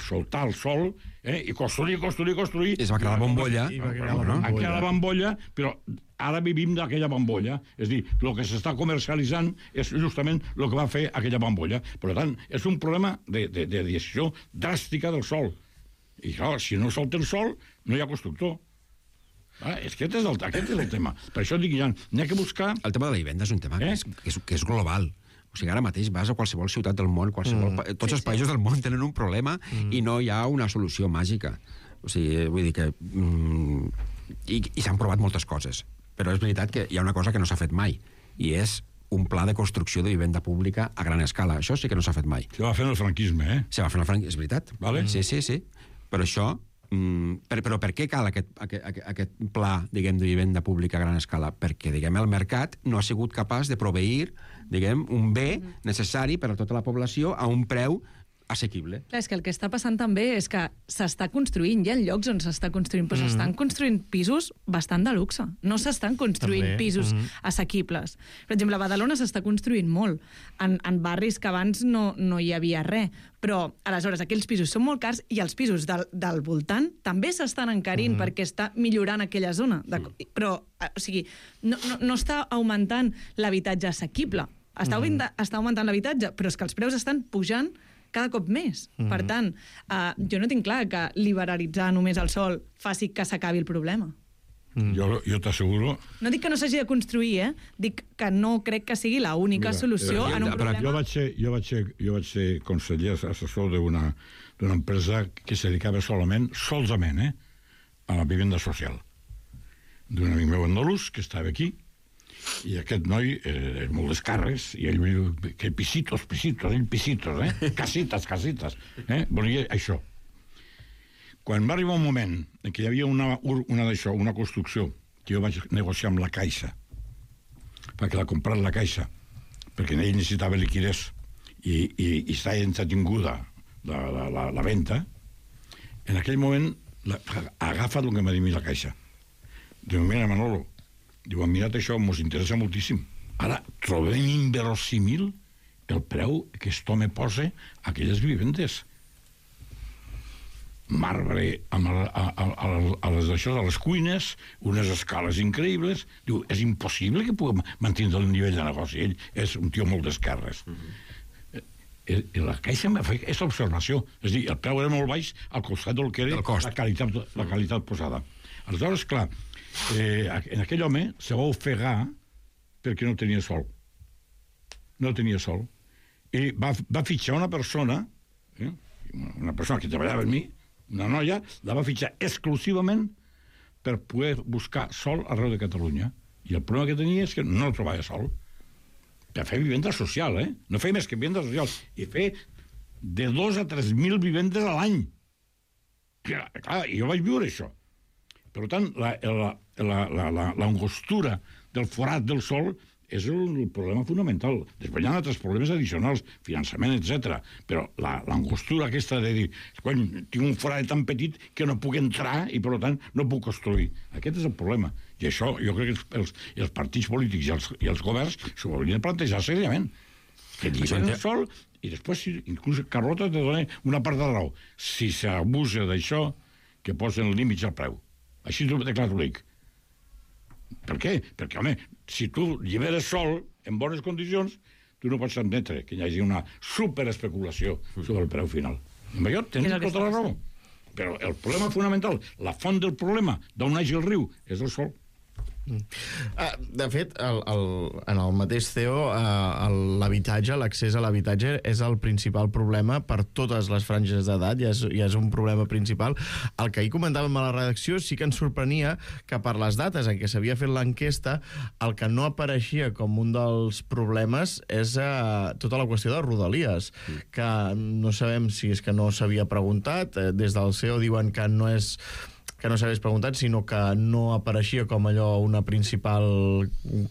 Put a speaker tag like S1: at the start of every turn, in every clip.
S1: soltar el sol, i construir.
S2: I es va crear la bombolla.
S1: Ha creat la bombolla, però ara vivim d'aquella bombolla. És a dir, el que s'està comercialitzant és justament el que va fer aquella bombolla. Per tant, és un problema de decisió dràstica del sol. I clar, si no solta el sol, no hi ha constructor. Aquest és el tema. Per això dic, Jan, n'hi ha que buscar...
S2: El tema de la vivenda és un tema que és global. O sigui, ara mateix vas a qualsevol ciutat del món, tots els països del món tenen un problema i no hi ha una solució màgica. O sigui, vull dir que... I s'han provat moltes coses. Però és veritat que hi ha una cosa que no s'ha fet mai, i és un pla de construcció de vivenda pública a gran escala. Això sí que no s'ha fet mai.
S1: Se va fer en el franquisme,
S2: Se va fer en el franquisme, és veritat.
S1: Vale.
S2: Sí. Però això... Però per què cal aquest pla, diguem, de vivenda pública a gran escala? Perquè, diguem, el mercat no ha sigut capaç de proveir, diguem, un bé necessari per a tota la població a un preu assequible.
S3: Clar, és que el que està passant també és que s'està construint, hi ha llocs on s'està construint, però s'estan construint pisos bastant de luxe. No s'estan construint pisos assequibles. Per exemple, a Badalona s'està construint molt, en barris que abans no hi havia res. Però, aleshores, aquells pisos són molt cars i els pisos del voltant també s'estan encarint perquè està millorant aquella zona. Però, o sigui, no està augmentant l'habitatge assequible. Està augmentant l'habitatge, però és que els preus estan pujant cada cop més. Per tant, jo no tinc clar que liberalitzar només el sol faci que s'acabi el problema.
S1: Jo t'asseguro...
S3: No dic que no s'hagi de construir, dic que no crec que sigui l'única solució en un problema.
S1: Jo vaig ser conseller assessor d'una empresa que se dedicava solament a la vivenda social. D'un amic meu andalús que estava aquí, i aquest noi és molt d'escarres, i ell diu que pisitos, casitas, volia això. Quan va arribar un moment en què hi havia una construcció que jo vaig negociar amb la Caixa perquè l'ha comprat la Caixa, perquè ell necessitava liquidez i estava entretinguda la venda, en aquell moment agafa el que m'ha dit la Caixa. Diu, mira, Manolo, diu, mirat això, ens interessa moltíssim. Ara, trobem inverosímil el preu que aquest home posa a aquelles vivendes. Marbre a les cuines, unes escales increïbles. Diu, és impossible que puguem mantenir el nivell de negoci. Ell és un tio molt d'esquerres. I la Caixa m'ha fet aquesta observació. És a dir, el preu era molt baix al costat del que era la qualitat posada. Aleshores, clar, en aquell home se va ofegar perquè no tenia sol. I va fitxar una persona que treballava amb mi, una noia, la va fitxar exclusivament per poder buscar sol arreu de Catalunya. I el problema que tenia és que no trobava sol. Per fer vivenda social, no feia més que vivenda social. I fer de 2 a 3.000 vivendes a l'any. Clar, jo vaig viure això. Per tant, l'angostura del forat del sol és el problema fonamental. Després hi ha altres problemes addicionals, finançament, etc. Però l'angostura aquesta de dir, quan tinc un forat tan petit que no puc entrar i, per tant, no puc construir. Aquest és el problema. I això, jo crec que els partits polítics i els governs s'ho haurien de plantejar seriament. Que llibren el sol i després, inclús Carlota te dona una part de raó. Si s'abusa d'això, que posen límits al preu. Així de clar t'ho dic. Per què? Perquè, home, si tu lliberes sol en bones condicions, tu no pots admetre que hi hagi una superespeculació sobre el preu final. I allò tens tota la raó. Però el problema fonamental, la font del problema d'on neix el riu, és el sol.
S4: De fet, en el mateix CEO, l'habitatge, l'accés a l'habitatge és el principal problema per totes les franges d'edat, ja és un problema principal. El que ahir comentàvem a la redacció sí que ens sorprenia que per les dates en què s'havia fet l'enquesta, el que no apareixia com un dels problemes és tota la qüestió de Rodalies, que no sabem si és que no s'havia preguntat, des del CEO diuen que no s'hagués preguntat, sinó que no apareixia com allò una principal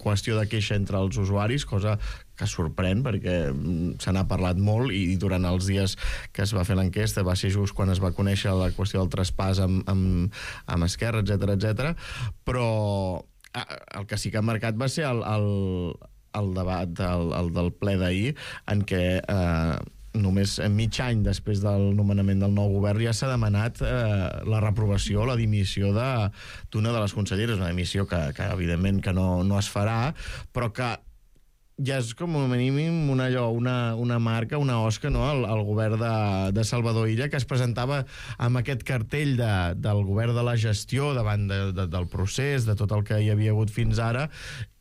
S4: qüestió de queixa entre els usuaris, cosa que sorprèn perquè se n'ha parlat molt i durant els dies que es va fer l'enquesta va ser just quan es va conèixer la qüestió del traspàs amb Esquerra, etc. Però el que sí que ha marcat va ser el debat del ple d'ahir en què només mig any després del nomenament del nou govern ja s'ha demanat la reprovació o la dimissió d'una de les conselleres, una dimissió que evidentment que no es farà, però que ja és com a mínim una marca, una osca, no? al govern de Salvador Illa, que es presentava amb aquest cartell del govern de la gestió davant del procés, de tot el que hi havia hagut fins ara,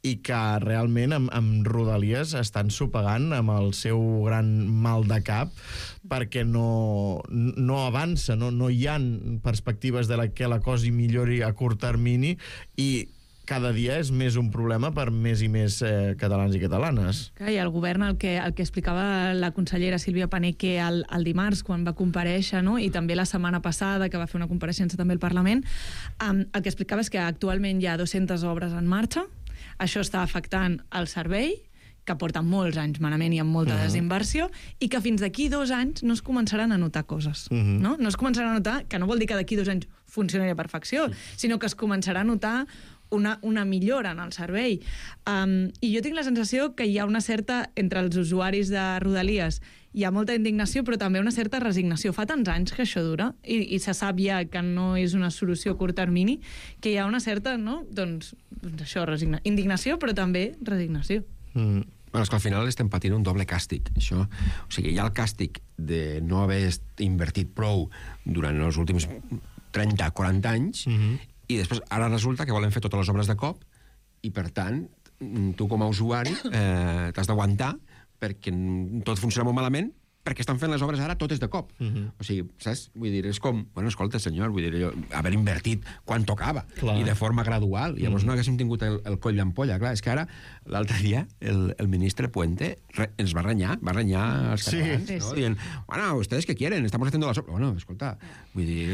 S4: i que realment amb Rodalies estan sopegant amb el seu gran mal de cap perquè no avança, no hi ha perspectives de que la cosa millori a curt termini i cada dia és més un problema per més i més catalans i catalanes.
S3: I el govern, el que explicava la consellera Sílvia Paneque el dimarts, quan va comparèixer, no? I també la setmana passada, que va fer una compareixença també al Parlament, el que explicava és que actualment hi ha 200 obres en marxa. Això està afectant el servei, que porta molts anys malament i amb molta desinversió, i que fins d'aquí 2 anys no es començaran a notar coses. No es començaran a notar, que no vol dir que d'aquí 2 anys funcionarà a perfecció, sinó que es començarà a notar una millora en el servei. I jo tinc la sensació que hi ha una certa, entre els usuaris de Rodalies, hi ha molta indignació, però també una certa resignació. Fa tants anys que això dura, i se sap ja que no és una solució a curt termini, que hi ha una certa, no? Doncs això, indignació, però també resignació.
S2: Bueno, és que al final estem patint un doble càstig, això. O sigui, hi ha el càstig de no haver invertit prou durant els últims 30-40 anys, i després ara resulta que volen fer totes les obres de cop i, per tant, tu com a usuari t'has d'aguantar perquè tot funciona molt malament perquè estan fent les obres ara totes de cop. O sigui, saps? Vull dir, és com... Bueno, escolta, senyor, vull dir, haver invertit quan tocava i de forma gradual. Llavors no haguéssim tingut el coll d'ampolla. Clar, és que ara, l'altre dia, el ministre Puente ens va renyar als catalans, no? Dient, bueno, ¿ustedes qué quieren? Estamos haciendo las obras. Bueno, escolta, vull dir...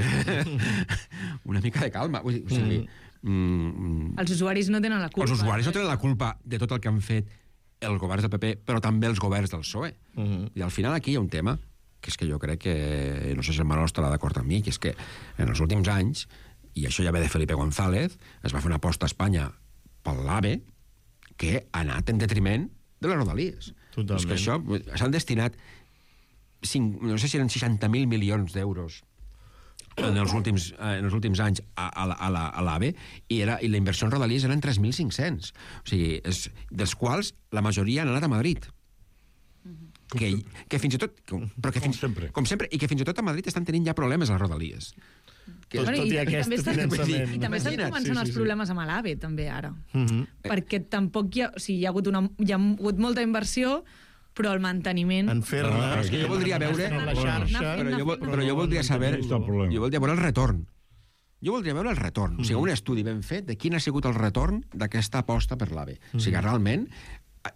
S2: una mica de calma. O sigui...
S3: Els usuaris no tenen la culpa.
S2: Els usuaris no tenen la culpa de tot el que han fet els governs del PP, però també els governs del PSOE. I al final aquí hi ha un tema que és que jo crec que, no sé si el Manol estarà d'acord amb mi, que és que en els últims anys, i això ja ve de Felipe González, es va fer una aposta a Espanya pel l'AVE que ha anat en detriment de les Rodalies.
S4: Totalment.
S2: És que això s'han destinat no sé si eren 60.000 milions d'euros en els últims anys a l'AVE, i la inversió en Rodalies eren 3.500. O sigui, dels quals la majoria han anat a Madrid. Que fins i tot... Com sempre, i que fins i tot a Madrid estan tenint ja problemes a les Rodalies.
S4: Tot i aquest finançament.
S3: I també estan començant els problemes amb l'AVE, també, ara. Perquè tampoc hi ha... O sigui, hi ha hagut molta inversió, però el manteniment...
S4: En fer-ne...
S2: És que jo voldria veure... Però jo voldria saber... Jo voldria veure el retorn. Jo voldria veure el retorn. O sigui, un estudi ben fet de quin ha sigut el retorn d'aquesta aposta per l'AVE. O sigui, realment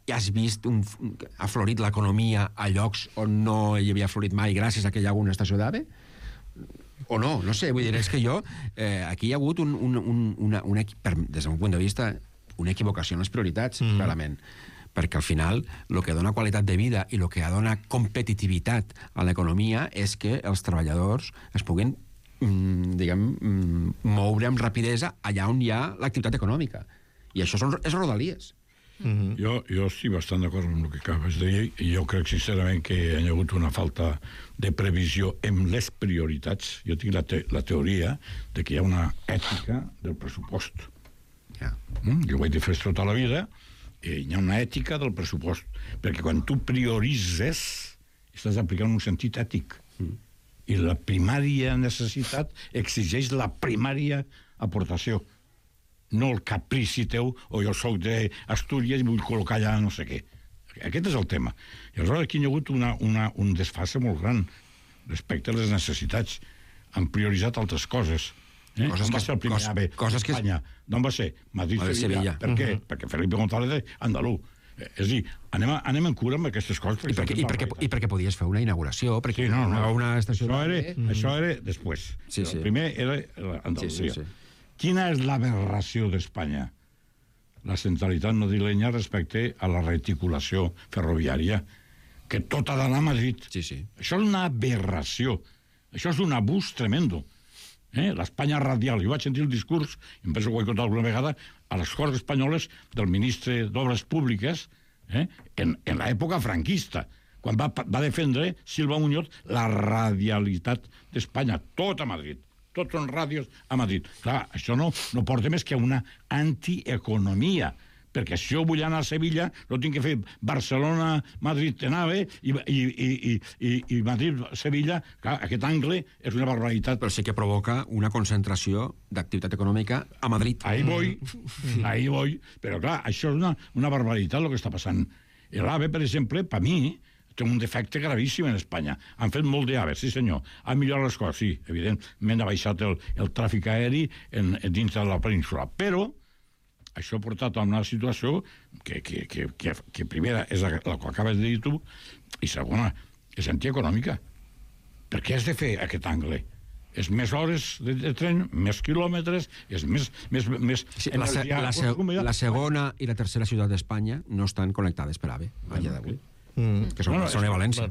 S2: ja has vist ha florit l'economia a llocs on no hi havia florit mai gràcies a que hi ha una estació d'AVE? O no? No sé, vull dir, és que jo... Aquí hi ha hagut des d'un punt de vista, una equivocació en les prioritats, clarament. Perquè al final el que dona qualitat de vida i el que dona competitivitat a l'economia és que els treballadors es puguin moure amb rapidesa allà on hi ha l'activitat econòmica. I això és Rodalies.
S1: Jo estic bastant d'acord amb el que acabes de dir, i jo crec sincerament que hi ha hagut una falta de previsió en les prioritats. Jo tinc la teoria de que hi ha una ètica del pressupost. Jo ho he defès tota la vida, i hi ha una ètica del pressupost, perquè quan tu prioritzes estàs aplicant un sentit ètic, i la primària necessitat exigeix la primària aportació, no el caprici teu, o jo soc d'Astúries i vull col·locar allà no sé què. Aquest és el tema. I aleshores aquí hi ha hagut un desfase molt gran respecte a les necessitats. Han prioritzat altres coses. Coses que Espanya. D'on va ser? Madrid-Sevilla. Per què? Perquè Felipe González andalú. És a dir, anem en cura amb aquestes coses.
S2: I perquè podies fer una inauguració, perquè una estació...
S1: Això era després. El primer era Andalusia. Quina és l'aberració d'Espanya? La centralitat madrilenya respecte a la reticulació ferroviària, que tot ha d'anar a Madrid. Això és una aberració. Això és un abús tremendo. L'Espanya radial. Jo vaig sentir el discurs, i em penso que ho he contat alguna vegada, a les Corts Espanyoles del ministre d'Obres Públiques en l'època franquista, quan va defendre Silva Muñoz la radialitat d'Espanya, tot a Madrid. Tots són ràdios a Madrid. Clar, això no porta més que una antieconomia, perquè si jo vull anar a Sevilla, no tinc que fer Barcelona-Madrid-Tenave i Madrid-Sevilla. Clar, aquest angle és una barbaritat.
S2: Però sí que provoca una concentració d'activitat econòmica a Madrid.
S1: Ahí voy. Però clar, això és una barbaritat el que està passant. L'AVE, per exemple, per mi, té un defecte gravíssim en Espanya. Han fet molt d'AVE, sí senyor. Han millorat les coses, sí, evidentment ha baixat el tràfic aeri dins de la península. Però això ha portat a una situació que primera és la que acabes de dir tu, i segona, és antieconòmica. Per què has de fer aquest angle? És més hores de tren, més quilòmetres, és més
S2: sí, la segona i la tercera ciutat d'Espanya no estan connectades per AVE, a dia d'avui. Que són Barcelona i València.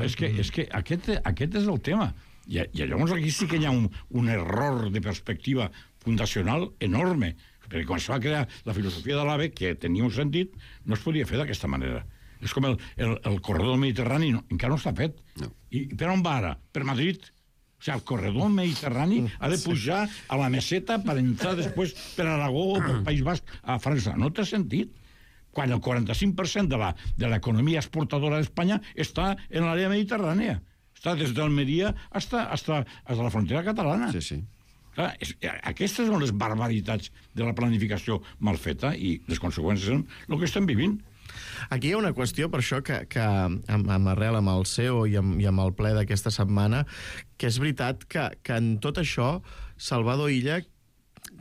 S1: És que aquest és el tema. I llavors aquí sí que hi ha un error de perspectiva fundacional enorme, perquè quan es va crear la filosofia de l'AVE, que tenia un sentit, no es podia fer d'aquesta manera. És com el corredor mediterrani, encara no està fet. No. I per on va ara? Per Madrid? O sigui, el corredor mediterrani ha de pujar a la meseta per entrar després per Aragó o pel País Basc a França. No té sentit. Quan el 45% de l'economia exportadora d'Espanya està en l'àrea mediterrània. Està des d'Almeria fins a la frontera catalana.
S2: Sí, sí.
S1: Clar, aquestes són les barbaritats de la planificació mal feta i les conseqüències són el que estem vivint.
S4: Aquí hi ha una qüestió, per això, que amb arrel amb el CEO i amb el ple d'aquesta setmana, que és veritat que en tot això Salvador Illa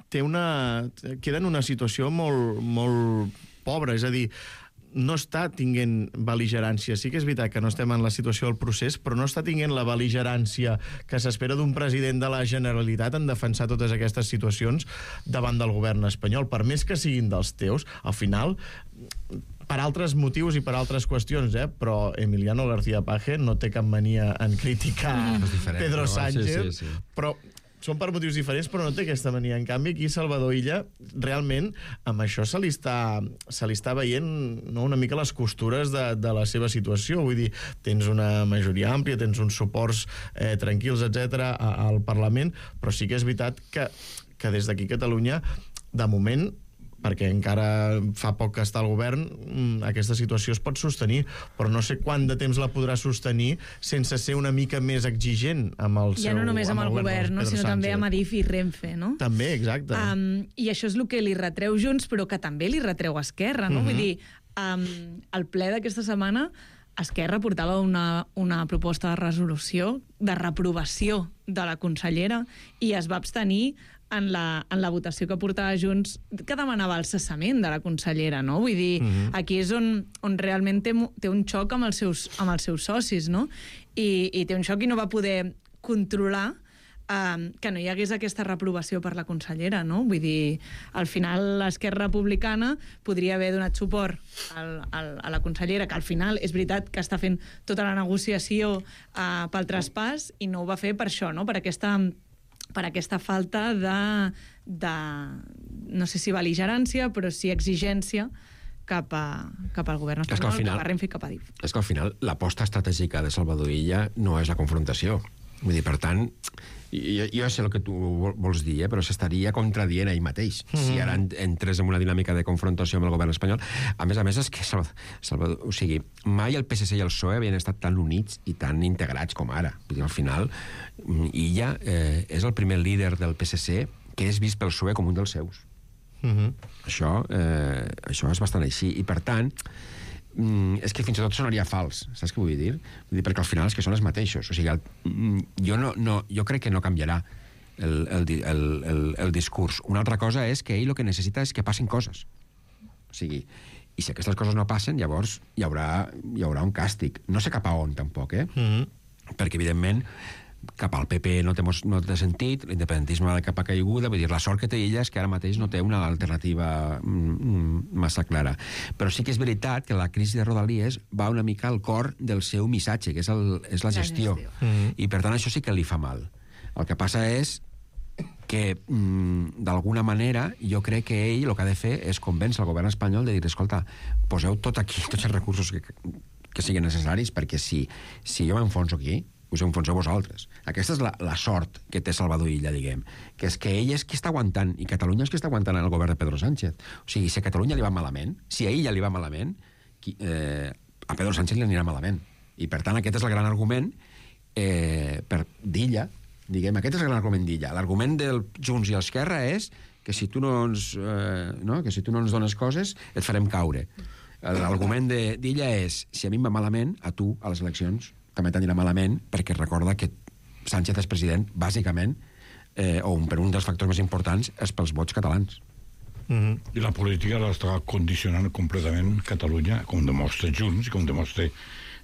S4: queda en una situació molt, molt pobra, és a dir, no està tinguent bel·ligerància. Sí que és veritat que no estem en la situació del procés, però no està tinguent la bel·ligerància que s'espera d'un president de la Generalitat en defensar totes aquestes situacions davant del govern espanyol, per més que siguin dels teus. Al final, per altres motius i per altres qüestions, però Emiliano García Paje no té cap mania en criticar Pedro Sánchez, sí. Però són per motius diferents, però no té aquesta mania. En canvi, aquí Salvador Illa, realment, amb això se li està veient una mica les costures de la seva situació. Vull dir, tens una majoria àmplia, tens uns suports tranquils, etc al Parlament, però sí que és veritat que des d'aquí a Catalunya, de moment, perquè encara fa poc que està al govern, aquesta situació es pot sostenir, però no sé quant de temps la podrà sostenir sense ser una mica més exigent amb el seu...
S3: Ja no només amb el govern, sinó també amb Adif i Renfe, no?
S4: També, exacte.
S3: I això és el que li retreu Junts, però que també li retreu Esquerra, no? Vull dir, al ple d'aquesta setmana Esquerra portava una proposta de resolució de reprovació de la consellera i es va abstenir en la votació que portava Junts, que demanava el cessament de la consellera, no? Vull dir, aquí és on realment té un xoc amb els seus socis, no? I té un xoc i no va poder controlar que no hi hagués aquesta reprovació per la consellera, no? Vull dir, al final l'Esquerra Republicana podria haver donat suport a la consellera, que al final és veritat que està fent tota la negociació pel traspàs, i no ho va fer per això, no? Per aquesta falta de no sé si bel·ligerància, però sí exigència cap al govern espanyol, cap a Renfe i cap a Adif.
S2: És que al final l'aposta estratègica de Salvador Illa no és la confrontació. Vull dir, per tant, jo sé el que tu vols dir, però s'estaria contradient ell mateix. Si ara entres en una dinàmica de confrontació amb el govern espanyol. A més, és que Salvador, o sigui, mai el PSC i el PSOE havien estat tan units i tan integrats com ara. Vull dir, al final, Illa és el primer líder del PSC que és vist pel PSOE com un dels seus. Això és bastant així. I, per tant, és que fins i tot sonaria fals, saps què vull dir? Vull dir, perquè al final és que són els mateixos. O sigui, jo crec que no canviarà el discurs. Una altra cosa és que ell el que necessita és que passin coses. O sigui, i si aquestes coses no passen, llavors hi haurà un càstig. No sé cap a on, tampoc, perquè, evidentment, cap al PP no té sentit, l'independentisme va de cap a caiguda, vull dir, la sort que té ella és que ara mateix no té una alternativa massa clara. Però sí que és veritat que la crisi de Rodalies va una mica al cor del seu missatge, que és la gestió. I per tant això sí que li fa mal. El que passa és que, d'alguna manera, jo crec que ell el que ha de fer és convèncer el govern espanyol de dir, escolta, poseu tot aquí, tots els recursos que siguin necessaris, perquè si jo m'enfonso aquí, us enfonseu vosaltres. Aquesta és la sort que té Salvador Illa, diguem, que és que ell és qui està aguantant, i Catalunya és qui està aguantant el govern de Pedro Sánchez. O sigui, si a Catalunya li va malament, si a Illa li va malament, a Pedro Sánchez li anirà malament. I, per tant, aquest és el gran argument d'Illa, diguem, aquest és el gran argument d'Illa. L'argument del Junts i Esquerra és que si tu no ens dones coses, et farem caure. L'argument d'Illa és, si a mi em va malament, a tu, a les eleccions, també t'anirà malament, perquè recorda que Sánchez és president, bàsicament, per un dels factors més importants, és pels vots catalans.
S1: I la política l'està condicionant completament Catalunya, com demostra Junts i com demostra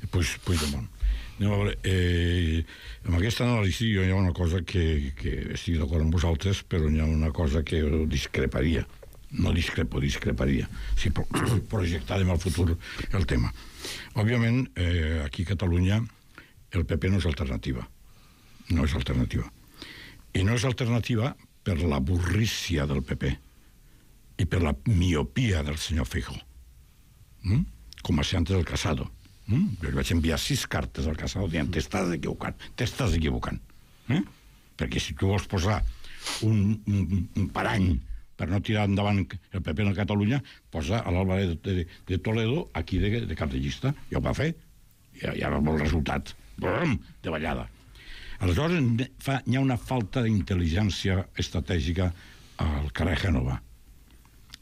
S1: Puigdemont. Anem a veure, amb aquesta anàlisi hi ha una cosa que estic d'acord amb vosaltres, però hi ha una cosa que discreparia. No discreparia, si projectàvem al futur el tema. Òbviament, aquí a Catalunya el PP no és alternativa. No és alternativa. I no és alternativa per la burrícia del PP i per la miopia del senyor Feijóo. Com a antes del Casado. Jo li vaig enviar 6 cartes al Casado dient t'estàs equivocant. Perquè si tu vols posar un parany per no tirar endavant el PP a Catalunya, posa a l'Álvarez de Toledo aquí de cap de llista. Ja ho va fer. Ja va el resultat. De ballada. Aleshores hi ha una falta d'intel·ligència estratègica al carrer Gènova.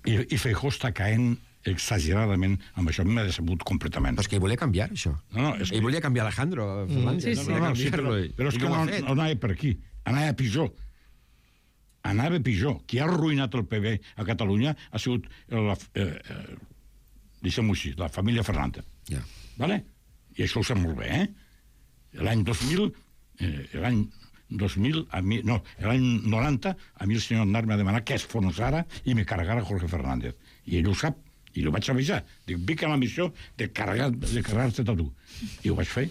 S1: I Feijóo està caent exageradament amb això. A mi m'ha decebut completament.
S2: Però és que ell volia canviar, això. Ell volia canviar Alejandro Fernández.
S1: Però és que no anava per aquí. Anava pitjor. Qui ha arruïnat el PP a Catalunya ha sigut deixem-ho així, la família Fernández. Vale? I això ho sap molt bé, L'any 90, a mi el senyor Aznar m'ha demanat que es fonssara i me carregara Jorge Fernández. I ell ho sap, i ho vaig avisar. Dic, vinc a la missió de carregar-te a tu. I ho vaig fer.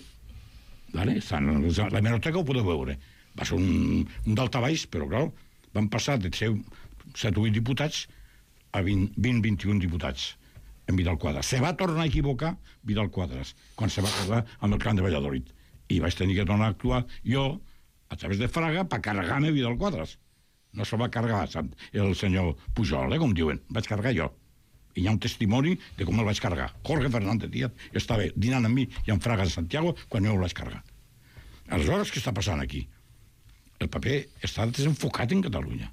S1: Vale? La hemeroteca ho podeu veure. Va ser un daltabaix, però, clar, van passar de ser 7 o 8 diputats a 20-21 diputats en Vidal Quadras. Se va tornar a equivocar Vidal Quadras quan se va quedar amb el camp de Valladolid. I vaig tenir que tornar a actuar jo, a través de Fraga, per carregar-me Vidal Quadras. No se va carregar el senyor Pujol, com diuen. Vaig carregar jo. I hi ha un testimoni de com el vaig carregar. Jorge Fernández Díaz estava dinant amb mi i amb Fraga de Santiago quan jo el vaig carregar. Aleshores, què està passant aquí? El paper està desenfocat en Catalunya.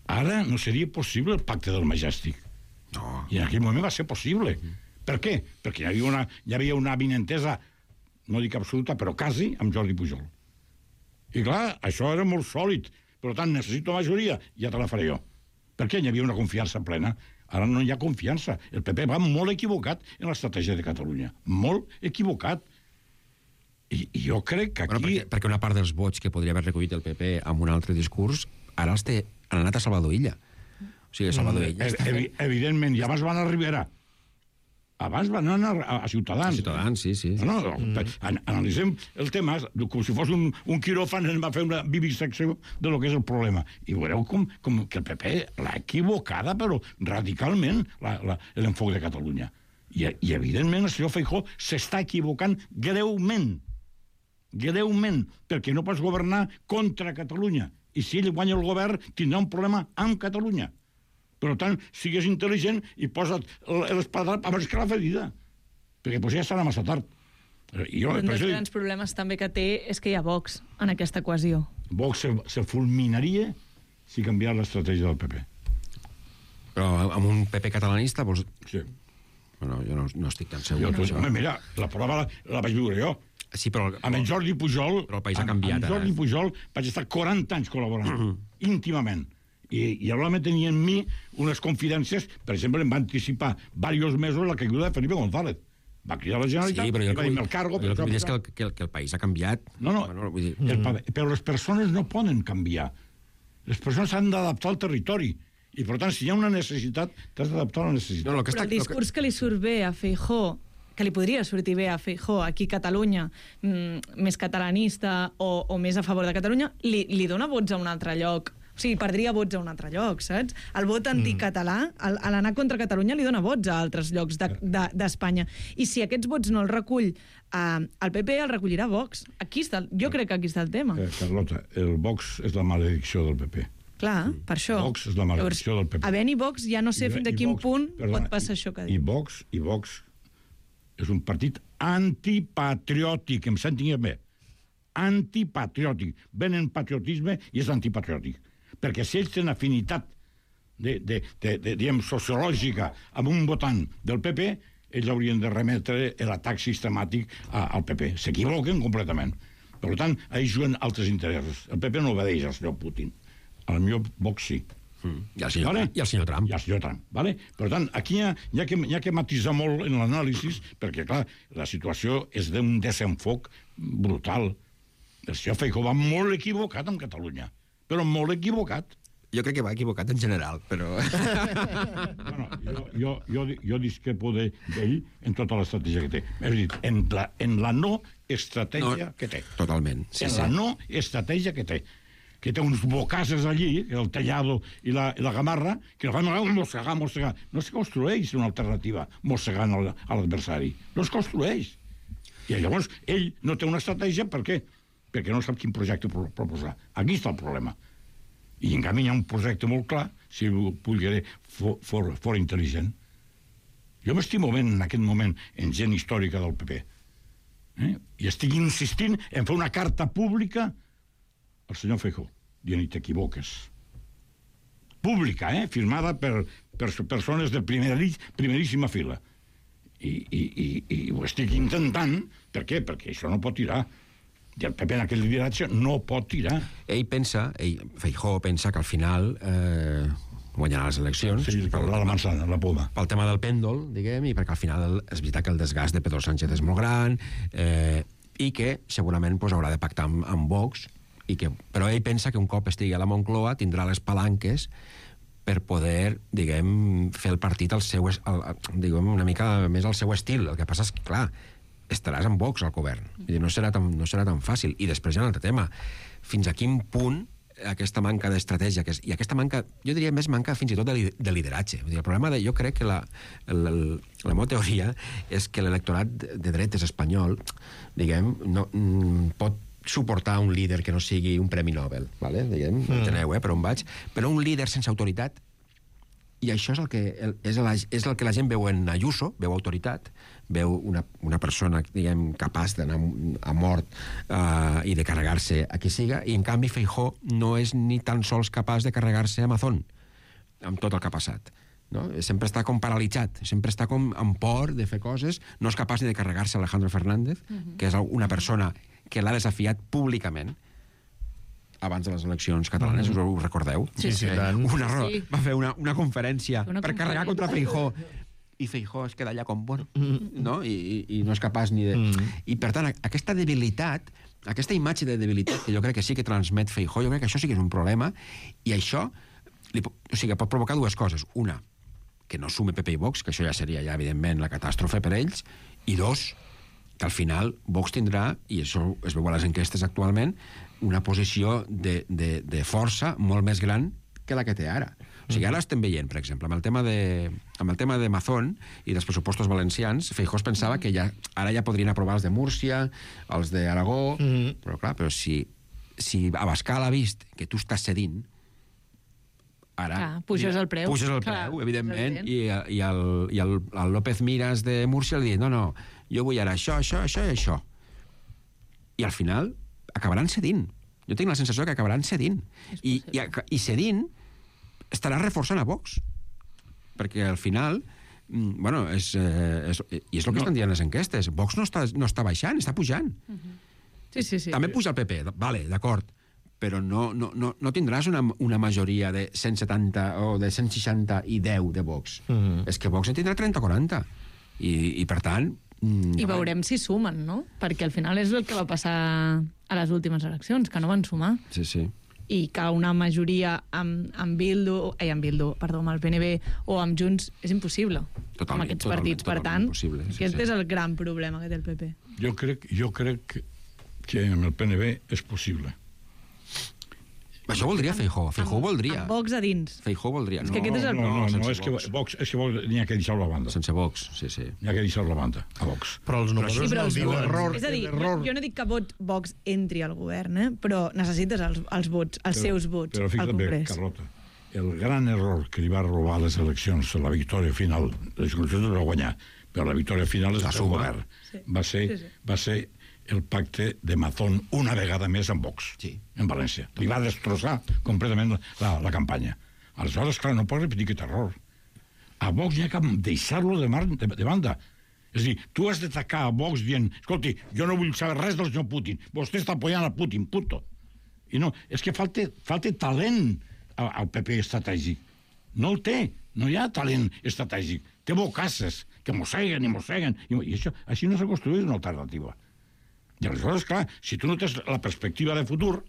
S1: Ara no seria possible el pacte del Majestic. No. I en aquell moment va ser possible. Per què? Perquè hi havia una avinentesa, no dic absoluta, però quasi, amb Jordi Pujol. I clar, això era molt sòlid. Per tant, necessito majoria, ja te la faré jo. Perquè hi havia una confiança plena. Ara no hi ha confiança. El PP va molt equivocat en l'estratègia de Catalunya. Molt equivocat. I jo crec que aquí...
S2: Perquè una part dels vots que podria haver recollit el PP amb un altre discurs, ara han anat a Salvador Illa. O sigui, Salvador Illa...
S1: Evidentment, i abans van arribar abans van anar a Ciutadans.
S2: A Ciutadans, sí.
S1: Analitzem el tema com si fos un quiròfan, ens va fer una vivisecció de lo que és el problema. I veureu com que el PP l'ha equivocada, però radicalment, l'enfoc de Catalunya. I evidentment, el senyor Feijóo s'està equivocant greument, perquè no pots governar contra Catalunya. I si ell guanya el govern, tindrà un problema amb Catalunya. Per tant, sigues intel·ligent i posa't l'espada abans que la ferida. Perquè ja serà massa tard.
S3: Un dels grans problemes també que té és que hi ha Vox en aquesta equació.
S1: Vox se fulminaria si canviara l'estratègia del PP.
S2: Però amb un PP catalanista, vols...
S1: Sí.
S2: Bueno, jo no estic tan segur.
S1: Mira, la prova la vaig viure jo.
S2: Sí, però...
S1: Amb en Jordi Pujol...
S2: Però el país ha canviat.
S1: Amb Jordi Pujol vaig estar 40 anys col·laborant, íntimament. I probablement tenia en mi unes confidències, per exemple, em va anticipar diversos mesos la caiguda de Felipe González. Va cridar la Generalitat,
S2: però
S1: va dir el cargo...
S2: El que vull dir és que el país ha canviat.
S1: No, però les persones no poden canviar. Les persones s'han d'adaptar al territori. I, per tant, si hi ha una necessitat, t'has d'adaptar a la necessitat.
S3: Però el discurs que li surt bé a Feijóo, que li podria sortir bé a Feijóo aquí a Catalunya, més catalanista o més a favor de Catalunya, li dona vots a un altre lloc O sigui, perdria vots a un altre lloc, saps? El vot anticatalà, a l'anar contra Catalunya li dona vots a altres llocs d'Espanya. I si aquests vots no els recull el PP, el recollirà Vox. Jo crec que aquí està el tema.
S1: Carlota, el Vox és la maledicció del PP.
S3: Clar, per això.
S1: Vox és la maledicció del PP.
S3: Havent-hi Vox, ja no sé fins a quin punt pot passar això que diu.
S1: I Vox és un partit antipatriòtic, em sentin bé. Antipatriòtic. Venen patriotisme i és antipatriòtic. Perquè si ells tenen afinitat diguem, sociològica amb un votant del PP, ells haurien de remetre l'atac sistemàtic al PP. S'equivoquen completament. Per tant, ells juguen altres interessos. El PP no obedeix al senyor Putin. Al millor Vox sí.
S2: I el senyor Trump.
S1: I el senyor Trump. Vale? Per tant, aquí hi ha que matisar molt en l'anàlisi, perquè, clar, la situació és d'un desenfoc brutal. El senyor Feijóo va molt equivocat en Catalunya, però molt equivocat.
S2: Jo crec que va equivocat en general, però...
S1: Bueno, jo discrepo d'ell en tota l'estratègia que té. És a dir, en la no estratègia que té.
S2: Totalment.
S1: En la no estratègia que té. Que té uns bocasses allí, el Tellado i la Gamarra, que van mossegar. No es construeix una alternativa mossegant a l'adversari. No es construeix. I llavors ell no té una estratègia, per què? Perquè no sap quin projecte proposar. Aquí està el problema. I en canvi hi ha un projecte molt clar, si ho pugui fora intel·ligent. Jo m'estimo ben en aquest moment en gent històrica del PP. I estic insistint en fer una carta pública al senyor Feijóo, dient-li t'equivoques. Pública, firmada per persones de primeríssima fila. I ho estic intentant. Per què? Perquè això no pot tirar. I el PP en aquest lideratge no pot tirar.
S2: Feijóo pensa que al final guanyarà les eleccions.
S1: Sí, la manzana, la poma.
S2: Pel tema del pèndol, diguem, i perquè al final és veritat que el desgast de Pedro Sánchez és molt gran, i que segurament haurà de pactar amb Vox, però ell pensa que un cop estigui a la Moncloa tindrà les palanques per poder, diguem, fer el partit diguem, una mica més al seu estil. El que passa és que, clar, estaràs amb Vox al govern. No serà tan fàcil. I després hi ha un altre tema. Fins a quin punt aquesta manca d'estratègia, i aquesta manca, jo diria més manca fins i tot de lideratge. El problema jo crec que la meva teoria és que l'electorat de dretes espanyol, diguem, no pot suportar un líder que no sigui un premi Nobel, vale? Diguem, enteneu, per on vaig? Però un líder sense autoritat, i això és el que la gent veu en Ayuso, veu autoritat, veu una persona, diguem, capaç d'anar a mort i de carregar-se a qui siga, i en canvi Feijóo no és ni tan sols capaç de carregar-se a Mazón, amb tot el que ha passat. No? Sempre està com paralitzat, sempre està com amb por de fer coses, no és capaç ni de carregar-se a Alejandro Fernández, que és una persona que l'ha desafiat públicament abans de les eleccions catalanes, us ho recordeu?
S4: Sí, tant.
S2: Va fer una conferència per carregar contra Feijóo, i Feijóo es queda allà com, bueno, no? I no és capaç ni de... I, per tant, aquesta debilitat, aquesta imatge de debilitat que jo crec que sí que transmet Feijóo, jo crec que això sí que és un problema, i això pot provocar dues coses. Una, que no sume PP i Vox, que això ja seria, evidentment, la catàstrofe per ells, i dos, que al final Vox tindrà, i això es veu a les enquestes actualment, una posició de força molt més gran que la que té ara. O sigui, ara estem veient, per exemple, amb el tema de Mazón i dels pressupostos valencians, Feijóo pensava que ara ja podrien aprovar els de Múrcia, els d'Aragó, però clar, si Abascal ha vist que tu estàs cedint, ara...
S3: Puges el preu.
S2: Puges el preu, evidentment, i el López Miras de Múrcia li diu, no, jo vull ara això i això. I al final acabaran cedint. Jo tinc la sensació que acabaran cedint. I cedint estarà reforçant a Vox. Perquè al final, bueno, i és el que estan dient les enquestes, Vox no està baixant, està pujant.
S3: Sí.
S2: També puja el PP, vale, d'acord, però no tindràs una majoria de 170 o de 160 i 10 de Vox. És que Vox en tindrà 30 o 40. I per tant...
S3: I veurem si sumen, no? Perquè al final és el que va passar a les últimes eleccions, que no van sumar.
S2: Sí.
S3: I que una majoria amb el PNB o amb Junts és impossible. Amb aquests partits. Per tant, aquest és el gran problema que té el PP.
S1: Jo crec que amb el PNB és possible.
S2: Això voldria Feijóo. Feijóo voldria.
S3: Amb Vox a dins.
S2: Feijóo voldria.
S3: És que aquest és el
S1: No,
S2: sense
S1: és que
S2: Vox.
S1: Vox n'hi ha que deixar-lo a banda.
S2: Sense Vox, sí.
S1: N'hi ha que deixar-lo a banda, a Vox.
S4: Però els números
S3: Sí, però
S4: no
S3: els
S4: diuen...
S3: vots. És a dir, jo no dic que Vox entri al govern, però necessites els vots, els seus vots
S1: però
S3: al
S1: fixa't bé,
S3: Congrés.
S1: Carlota, el gran error que li va robar les eleccions, la victòria final, les eleccions va guanyar, però la victòria final és
S2: La
S1: el
S2: suma.
S1: govern.
S3: Sí.
S1: Va ser el pacte de Mazón una vegada més amb Vox,
S2: Sí.
S1: en València. Li va destrossar completament la campanya. Aleshores, clar, no pot repetir aquest error. A Vox hi ha que deixar-lo de banda. És a dir, tu has d'atacar a Vox dient, escolti, jo no vull saber res del senyor Putin, vostè està apoyant a Putin, punto. I no, és que falta talent al PP estratègic. No el té, no hi ha talent estratègic. Té bocasses que mosseguen i mosseguen, i això, així no s'ha construït una alternativa. I aleshores, clar, si tu no tens la perspectiva de futur,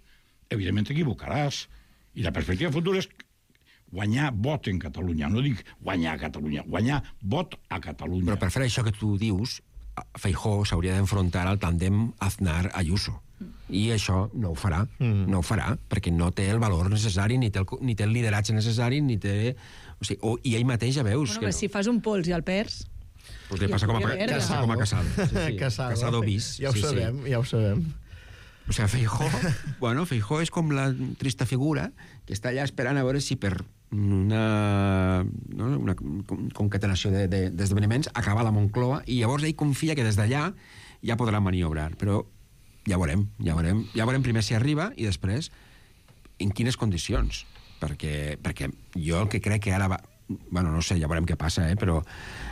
S1: evidentment t'equivocaràs. I la perspectiva de futur és guanyar vot en Catalunya. No dic guanyar a Catalunya, guanyar vot a Catalunya.
S2: Però per fer això que tu dius, Feijóo s'hauria d'enfrontar al tàndem Aznar-Ayuso. I això no ho farà, no ho farà, perquè no té el valor necessari, ni té el lideratge necessari, ni té... O sigui, i ell mateix ja veus...
S3: Bueno, si fas un pols i el perds...
S2: Pues li passa com a Casado. Casado bis.
S4: Ja ho sabem, ja ho sabem.
S2: O sigui, Feijóo és com la trista figura que està allà esperant a veure si per una concatenació d'esdeveniments acaba la Moncloa i llavors ell confia que des d'allà ja podrà maniobrar. Però ja veurem primer si arriba i després en quines condicions. Perquè jo el que crec que ara va... Bueno, no sé, ja veurem què passa, però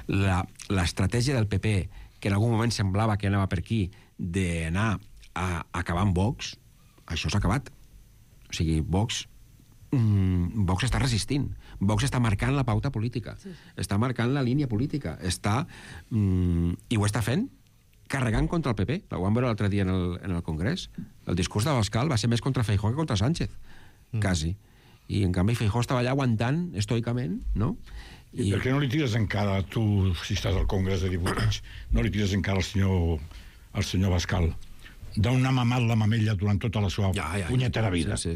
S2: l'estratègia del PP, que en algun moment semblava que anava per aquí, d'anar a acabar amb Vox, això s'ha acabat. O sigui, Vox està resistint. Vox està marcant la pauta política. Sí. Està marcant la línia política. I ho està fent carregant contra el PP. Ho vam veure l'altre dia en el Congrés. El discurs d'Abascal va ser més contra Feijóo que contra Sánchez. Quasi. I en canvi Feijóo estava allà aguantant estoicament, no?
S1: I per què no li tires encara, tu, si estàs al Congrés de Diputats, no li tires encara al senyor Abascal d'una mamat la mamella durant tota la seva punyetera vida?
S2: Sí.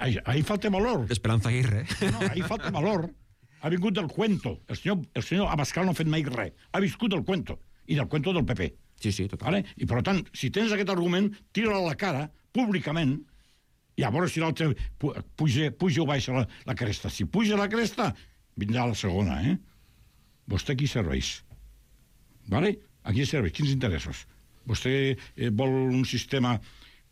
S1: Ahí falta valor.
S2: Esperanza Aguirre.
S1: No, ahí falta valor. Ha vingut del cuento. El senyor Abascal no ha fet mai res. Ha viscut del cuento. I del cuento del PP.
S2: Sí, total.
S1: Vale? I per tant, si tens aquest argument, tira-la a la cara, públicament, i a veure si l'altre puja o baixa la cresta. Si puja la cresta, vindrà la segona, Vostè qui serveix? Vale? A qui serveix? Quins interessos? Vostè vol un sistema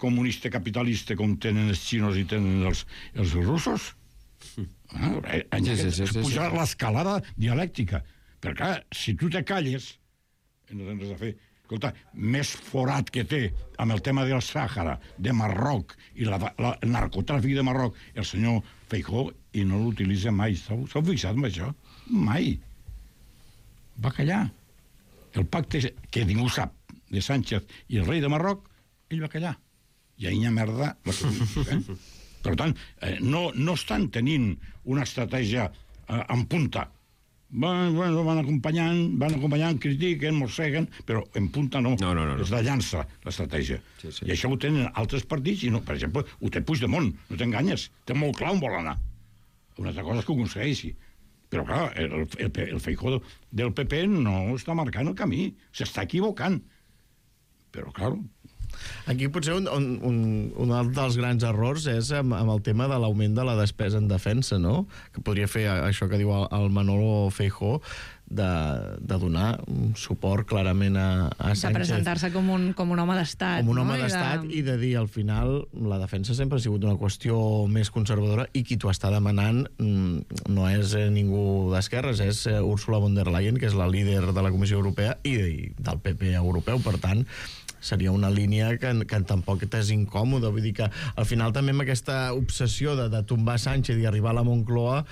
S1: comunista capitalista com tenen els xinos i tenen els russos? Pujar l'escalada dialèctica. Perquè, clar, si tu te calles, no tens res a fer. Escolta, més forat que té amb el tema del Sàhara, de Marroc, i el narcotràfic de Marroc, el senyor Feijóo, i no l'utilitza mai. S'heu fixat en això? Mai. Va callar. El pacte que ningú sap de Sánchez i el rei de Marroc, ell va callar. I ahir hi ha merda. Per tant, no estan tenint una estratègia en punta. Van acompanyant, critiquen, mosseguen, però en punta no.
S2: No.
S1: És la llança, l'estratègia.
S2: Sí.
S1: I això ho tenen altres partits, i no, per exemple, ho té Puigdemont, no t'enganyes, té molt clar on vol anar. Una altra cosa és que ho aconsegueixi. Però, clar, el Feijóo del PP no està marcant el camí, s'està equivocant. Però, clar...
S4: Aquí potser un dels grans errors és amb el tema de l'augment de la despesa en defensa, no? Que podria fer això que diu el Manolo Feijóo, de donar suport clarament a Sánchez.
S3: De presentar-se com un home d'estat.
S4: Com un home d'estat i de dir, al final, la defensa sempre ha sigut una qüestió més conservadora i qui t'ho està demanant no és ningú d'esquerres, és Ursula von der Leyen, que és la líder de la Comissió Europea i del PP europeu. Per tant, seria una línia que tampoc t'és incòmode. Vull dir que al final també amb aquesta obsessió de tombar Sánchez i arribar a la Moncloa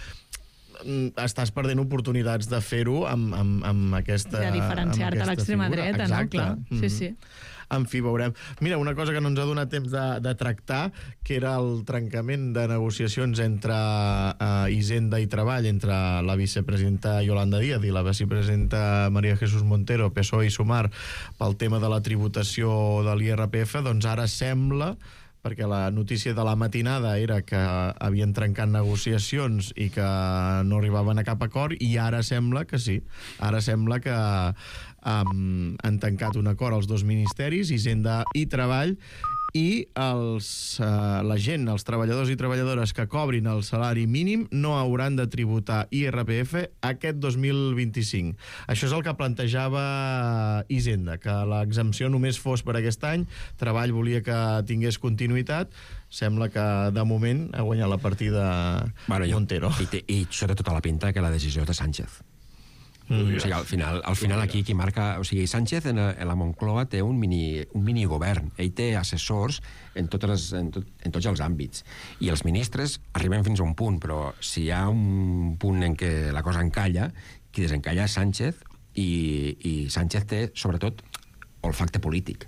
S4: estàs perdent oportunitats de fer-ho amb aquesta...
S3: De diferenciar-te a l'extrema dreta, no? Clar. Sí.
S4: En fi, veurem. Mira, una cosa que no ens ha donat temps de tractar, que era el trencament de negociacions entre Hisenda i Treball, entre la vicepresidenta Yolanda Díaz i la vicepresidenta María Jesús Montero, PSOE i Sumar, pel tema de la tributació de l'IRPF, doncs ara sembla perquè la notícia de la matinada era que havien trencat negociacions i que no arribaven a cap acord, i ara sembla que sí. Ara sembla que han tancat un acord als dos ministeris, Hisenda i Treball, i la gent, els treballadors i treballadores que cobrin el salari mínim no hauran de tributar IRPF aquest 2025. Això és el que plantejava Hisenda, que l'exempció només fos per aquest any. Treball volia que tingués continuïtat. Sembla que de moment ha guanyat la partida Montero.
S2: I això té tota la pinta que la decisió és de Sánchez. O sigui, al final aquí qui marca... O sigui, Sánchez en la Moncloa té un minigovern. Ell té assessors en tots els àmbits. I els ministres arriben fins a un punt, però si hi ha un punt en què la cosa encalla, qui desencalla és Sánchez, i Sánchez té, sobretot, olfacte polític.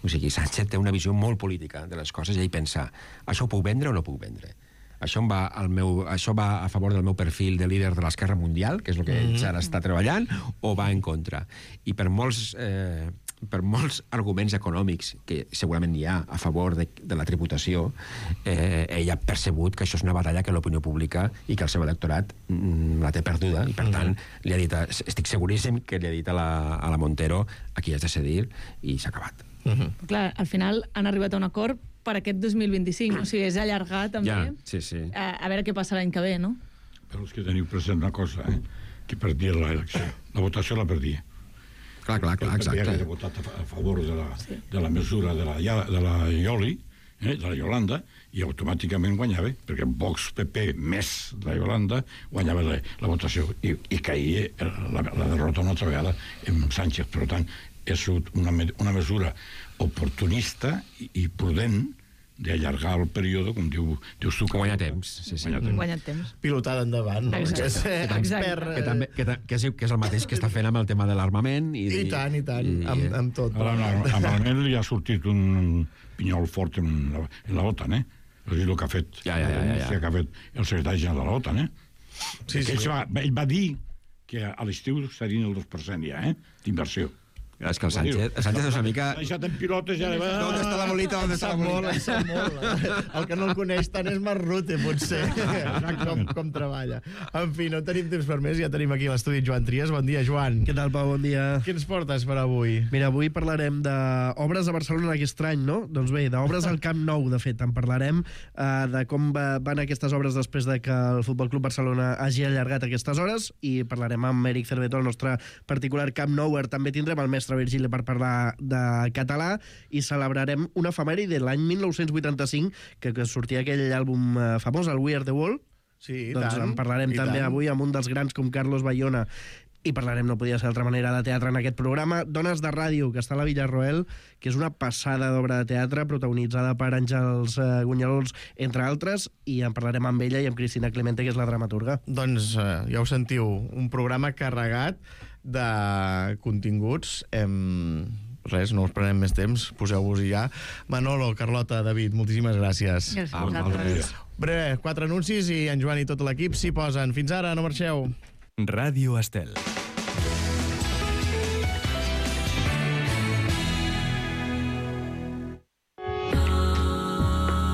S2: O sigui, Sánchez té una visió molt política de les coses i ell pensa, això ho puc vendre o no puc vendre? Això va a favor del meu perfil de líder de l'Esquerra Mundial, que és el que ell ara està treballant, o va en contra? I per molts arguments econòmics que segurament hi ha a favor de la tributació, ell ha percebut que això és una batalla que l'opinió pública i que el seu electorat la té perduda, i per tant li ha dit, estic seguríssim que li ha dit a la Montero, aquí has de cedir, i s'ha acabat.
S3: Clar, al final han arribat a un acord per aquest 2025, o sigui, és allargar també, a veure què passa l'any que ve, no?
S1: Però és que teniu present una cosa, que perdia l'elecció. La votació la perdia.
S2: Clar, exacte.
S1: Havia votat a favor de la mesura de la Ioli, de la Iolanda, i automàticament guanyava, perquè Vox, PP, més la Iolanda, guanyava la votació, i caïa la derrota una altra vegada en Sánchez. Per tant, és una mesura oportunista i prudent d'allargar el període, com dius tu.
S2: Guanyar temps.
S3: Guanyar temps.
S4: Pilotada endavant.
S3: Exacte.
S2: Que és el mateix que està fent amb el tema de l'armament.
S4: I tant, amb tot.
S1: Amb l'armament li ha sortit un pinyol fort en la OTAN, És el que ha fet que ha fet el secretari general de la OTAN, Ell va dir que a l'estiu serien el 2% ja, d'inversió.
S2: És que el Sánchez és una mica...
S1: L'ha deixat en pilotes i ara va...
S2: ¿Dónde està la bolita? ¿Dónde està la bolita?
S4: Sap molt. El que no el coneix tant és Marrute, potser, com treballa. En fi, no tenim temps per més, ja tenim aquí l'estudi Joan Trias. Bon dia, Joan.
S5: Què tal, Pau? Bon dia.
S4: Què ens portes per avui?
S5: Mira, avui parlarem d'obres a Barcelona aquest any, no? Doncs bé, d'obres al Camp Nou, de fet. En parlarem de com van aquestes obres després de que el Futbol Club Barcelona hagi allargat aquestes hores, i parlarem amb Eric Cerveto, el nostre particular Camp Nouer. També tindrem el mestre Virgili per parlar de català, i celebrarem una efemèride de l'any 1985 que sortia aquell àlbum famós, el We Are The Wall.
S4: Sí,
S5: doncs en parlarem també avui amb un dels grans com Carlos Bayona, i parlarem, no podia ser d'altra manera, de teatre en aquest programa. Dones de ràdio, que està a la Villarroel, que és una passada d'obra de teatre protagonitzada per Àngels Gunyarols, entre altres, i en parlarem amb ella i amb Cristina Clemente, que és la dramaturga.
S4: Doncs ja ho sentiu, un programa carregat de continguts. Res, no us prenem més temps, poseu-vos-hi ja. Manolo, Carlota, David, moltíssimes gràcies.
S3: Gràcies.
S4: Breve, 4 anuncis i en Joan i tot l'equip s'hi posen. Fins ara, no marxeu.
S6: Ràdio Estel.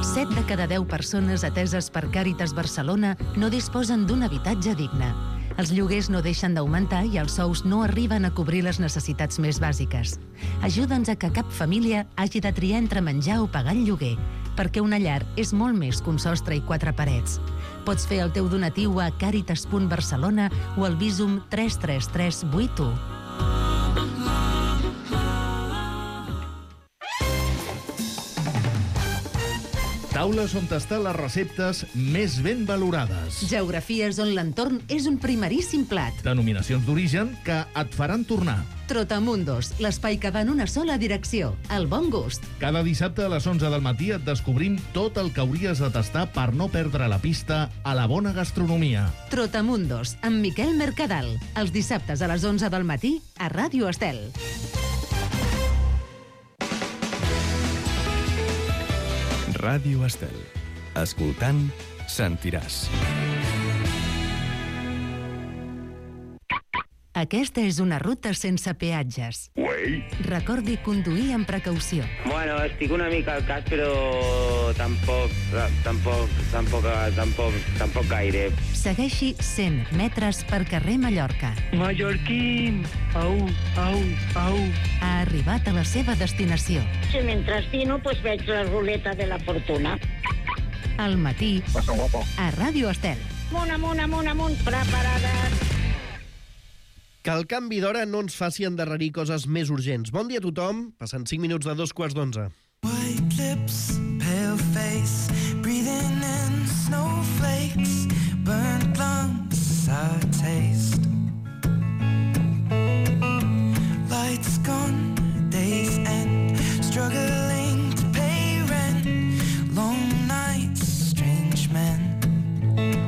S7: Set de cada 10 persones ateses per Càritas Barcelona no disposen d'un habitatge digne. Els lloguers no deixen d'augmentar i els sous no arriben a cobrir les necessitats més bàsiques. Ajuda'ns a que cap família hagi de triar entre menjar o pagar el lloguer, perquè una llar és molt més que un sostre i 4 parets. Pots fer el teu donatiu a caritas.barcelona o al Bizum 33381.
S8: Taules on estan les receptes més ben valorades.
S7: Geografies on l'entorn és un primeríssim plat.
S8: Denominacions d'origen que et faran tornar.
S7: Trotamundos, l'espai que va en una sola direcció, el bon gust.
S8: Cada dissabte a les 11 del matí et descobrim tot el que hauries de tastar per no perdre la pista a la bona gastronomia.
S7: Trotamundos, amb Miquel Mercadal. Els dissabtes a les 11 del matí a Ràdio Estel.
S6: Ràdio Estel. Escoltant, sentiràs.
S7: Aquesta és una ruta sense peatges. Recordi conduir amb precaució.
S9: Bueno, estic una mica al cas, però tampoc gaire.
S7: Segueixi 100 metres per carrer Mallorca.
S9: Mallorquín, au.
S7: Ha arribat a la seva destinació.
S10: Si mentre dino, pues veig la ruleta de la fortuna.
S7: Al matí, a Ràdio Estel.
S10: Amunt, preparades.
S5: Que el canvi d'hora no ens faci endarrerir coses més urgents. Bon dia a tothom, passant 5 minuts de 2:15.
S11: White lips, pale face, breathing in snowflakes, burnt lungs, sour taste. Lights gone, days end, struggling to pay rent, long nights, strange men.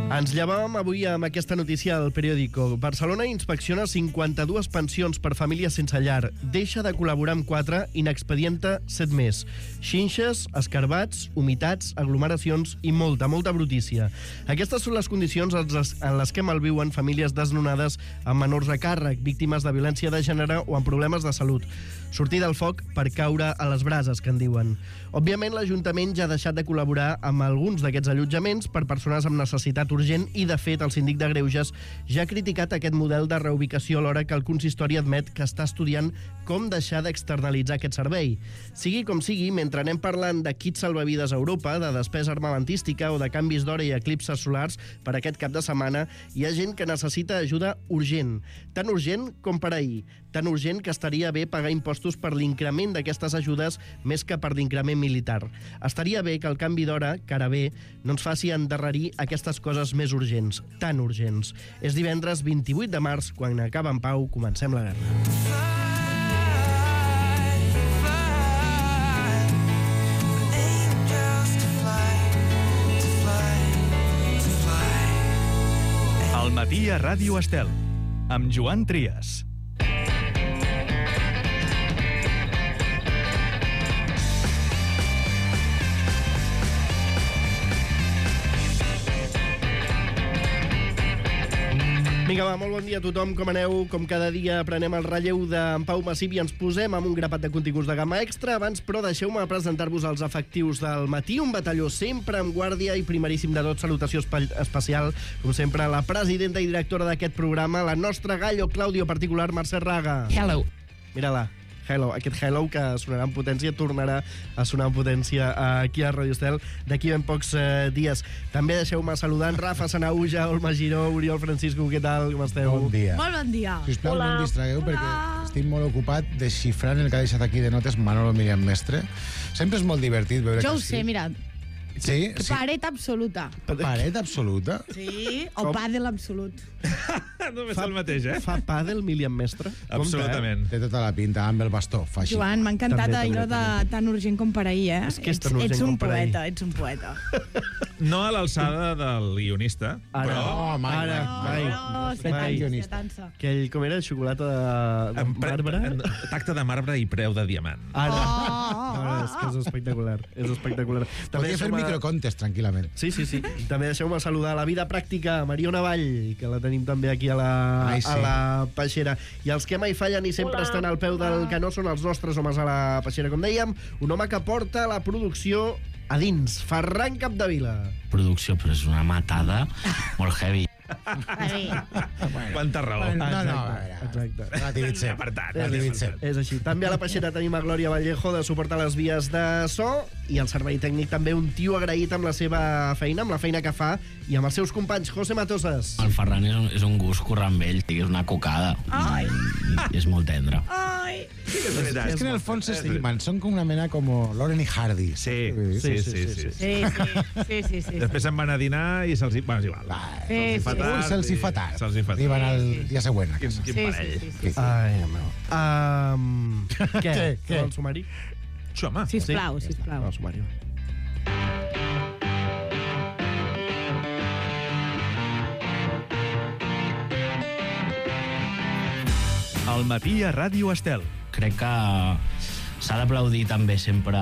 S5: Ens llevàvem avui amb aquesta notícia al periòdico. Barcelona inspecciona 52 pensions per famílies sense llar. Deixa de col·laborar amb 4 i n'expedienta 7 més. Xinxes, escarbats, humitats, aglomeracions i molta brutícia. Aquestes són les condicions en les que malviuen famílies desnonades amb menors a càrrec, víctimes de violència de gènere o amb problemes de salut. Sortir del foc per caure a les brases, que en diuen. Òbviament, l'Ajuntament ja ha deixat de col·laborar amb alguns d'aquests allotjaments per persones amb necessitat urgent i, de fet, el síndic de Greuges ja ha criticat aquest model de reubicació alhora que el consistori admet que està estudiant com deixar d'externalitzar aquest servei. Sigui com sigui, mentre anem parlant de kits salvavides a Europa, de despesa armamentística o de canvis d'hora i eclipses solars per aquest cap de setmana, hi ha gent que necessita ajuda urgent. Tan urgent com per ahir. Tan urgent que estaria bé pagar impostos per l'increment d'aquestes ajudes més que per l'increment militar. Estaria bé que el canvi d'hora, que ara ve, no ens faci endarrerir aquestes coses més urgents, tan urgents. És divendres 28 de març, quan acaba en pau, comencem la guerra.
S6: Al matí a Ràdio Estel, amb Joan Trias.
S5: Vinga, va, molt bon dia a tothom, com aneu? Com cada dia prenem el relleu d'en Pau Massip i ens posem amb un grapat de continguts de gamma extra. Abans, però, deixeu-me presentar-vos els efectius del matí. Un batalló sempre en guàrdia i primeríssim de tot, salutació especial, com sempre, la presidenta i directora d'aquest programa, la nostra gallo Claudio particular, Mercè Raga.
S12: Hello.
S5: Mira-la. Hello. Aquest hello que sonarà en potència tornarà a sonar en potència aquí a Radio Estel d'aquí ben pocs dies. També deixeu-me saludar en Rafa Sanauja, Olma Giró, Oriol Francisco, què tal, com esteu?
S12: Bon dia.
S3: Molt bon dia.
S12: Sisplau, no em distragueu perquè estic molt ocupat desxifrant el que ha deixat aquí de notes Manolo Miriam Mestre. Sempre és molt divertit veure
S13: Jo ho
S12: que
S13: sé, mira.
S12: Sí?
S13: Paret absoluta.
S12: Paret absoluta?
S13: Sí, o pàdel absolut.
S14: Només el mateix, eh?
S5: Fa pàdel, Miriam Mestre?
S14: Absolutament.
S12: Té tota la pinta, amb el bastó, fa així.
S13: Joan, m'ha encantat allò de tan urgent com per ahir, eh?
S5: És que és tan urgent
S13: ets un
S5: com per ahir.
S13: poeta, ets un poeta.
S14: No a l'alçada del guionista,
S5: Ara,
S14: però...
S5: Aquell, com era, xocolata de marbre?
S14: Tacte de marbre i preu de diamant.
S5: Ara. És que és espectacular. És espectacular.
S12: Podria fer microcontes, tranquil·lament.
S5: Sí. També deixeu-me saludar a la vida pràctica, Mariona Vall, que la tenim també aquí a la Peixera. I els que mai fallen i sempre estan al peu del canó són els nostres homes a la Peixera. Com dèiem, un home que porta la producció a dins, Ferran Capdevila.
S15: Producció, però és una matada molt heavy.
S14: Quanta raó.
S5: Exacte.
S14: Relativitzem.
S5: És així. També a la Peixera tenim a Glòria Vallejo de suportar les vies de so i el servei tècnic també un tio agraït amb la seva feina, amb la feina que fa i amb els seus companys. José Matosas.
S15: El Ferran és un gust currar amb ell, és una cocada. I és molt tendre.
S12: És que en el fons s'estimen, són com una mena com Lauren i Hardy.
S14: Sí. Després se'n van a dinar i se'ls hi... Bueno, és igual.
S12: Se'ls hi fa tard. Arriben el dia següent.
S14: Quin parell.
S5: Ai, meu. Què? El sumari?
S14: Home.
S13: Sisplau.
S5: El sumari.
S6: Al matí a Ràdio Estel.
S15: Crec que s'ha d'aplaudir també sempre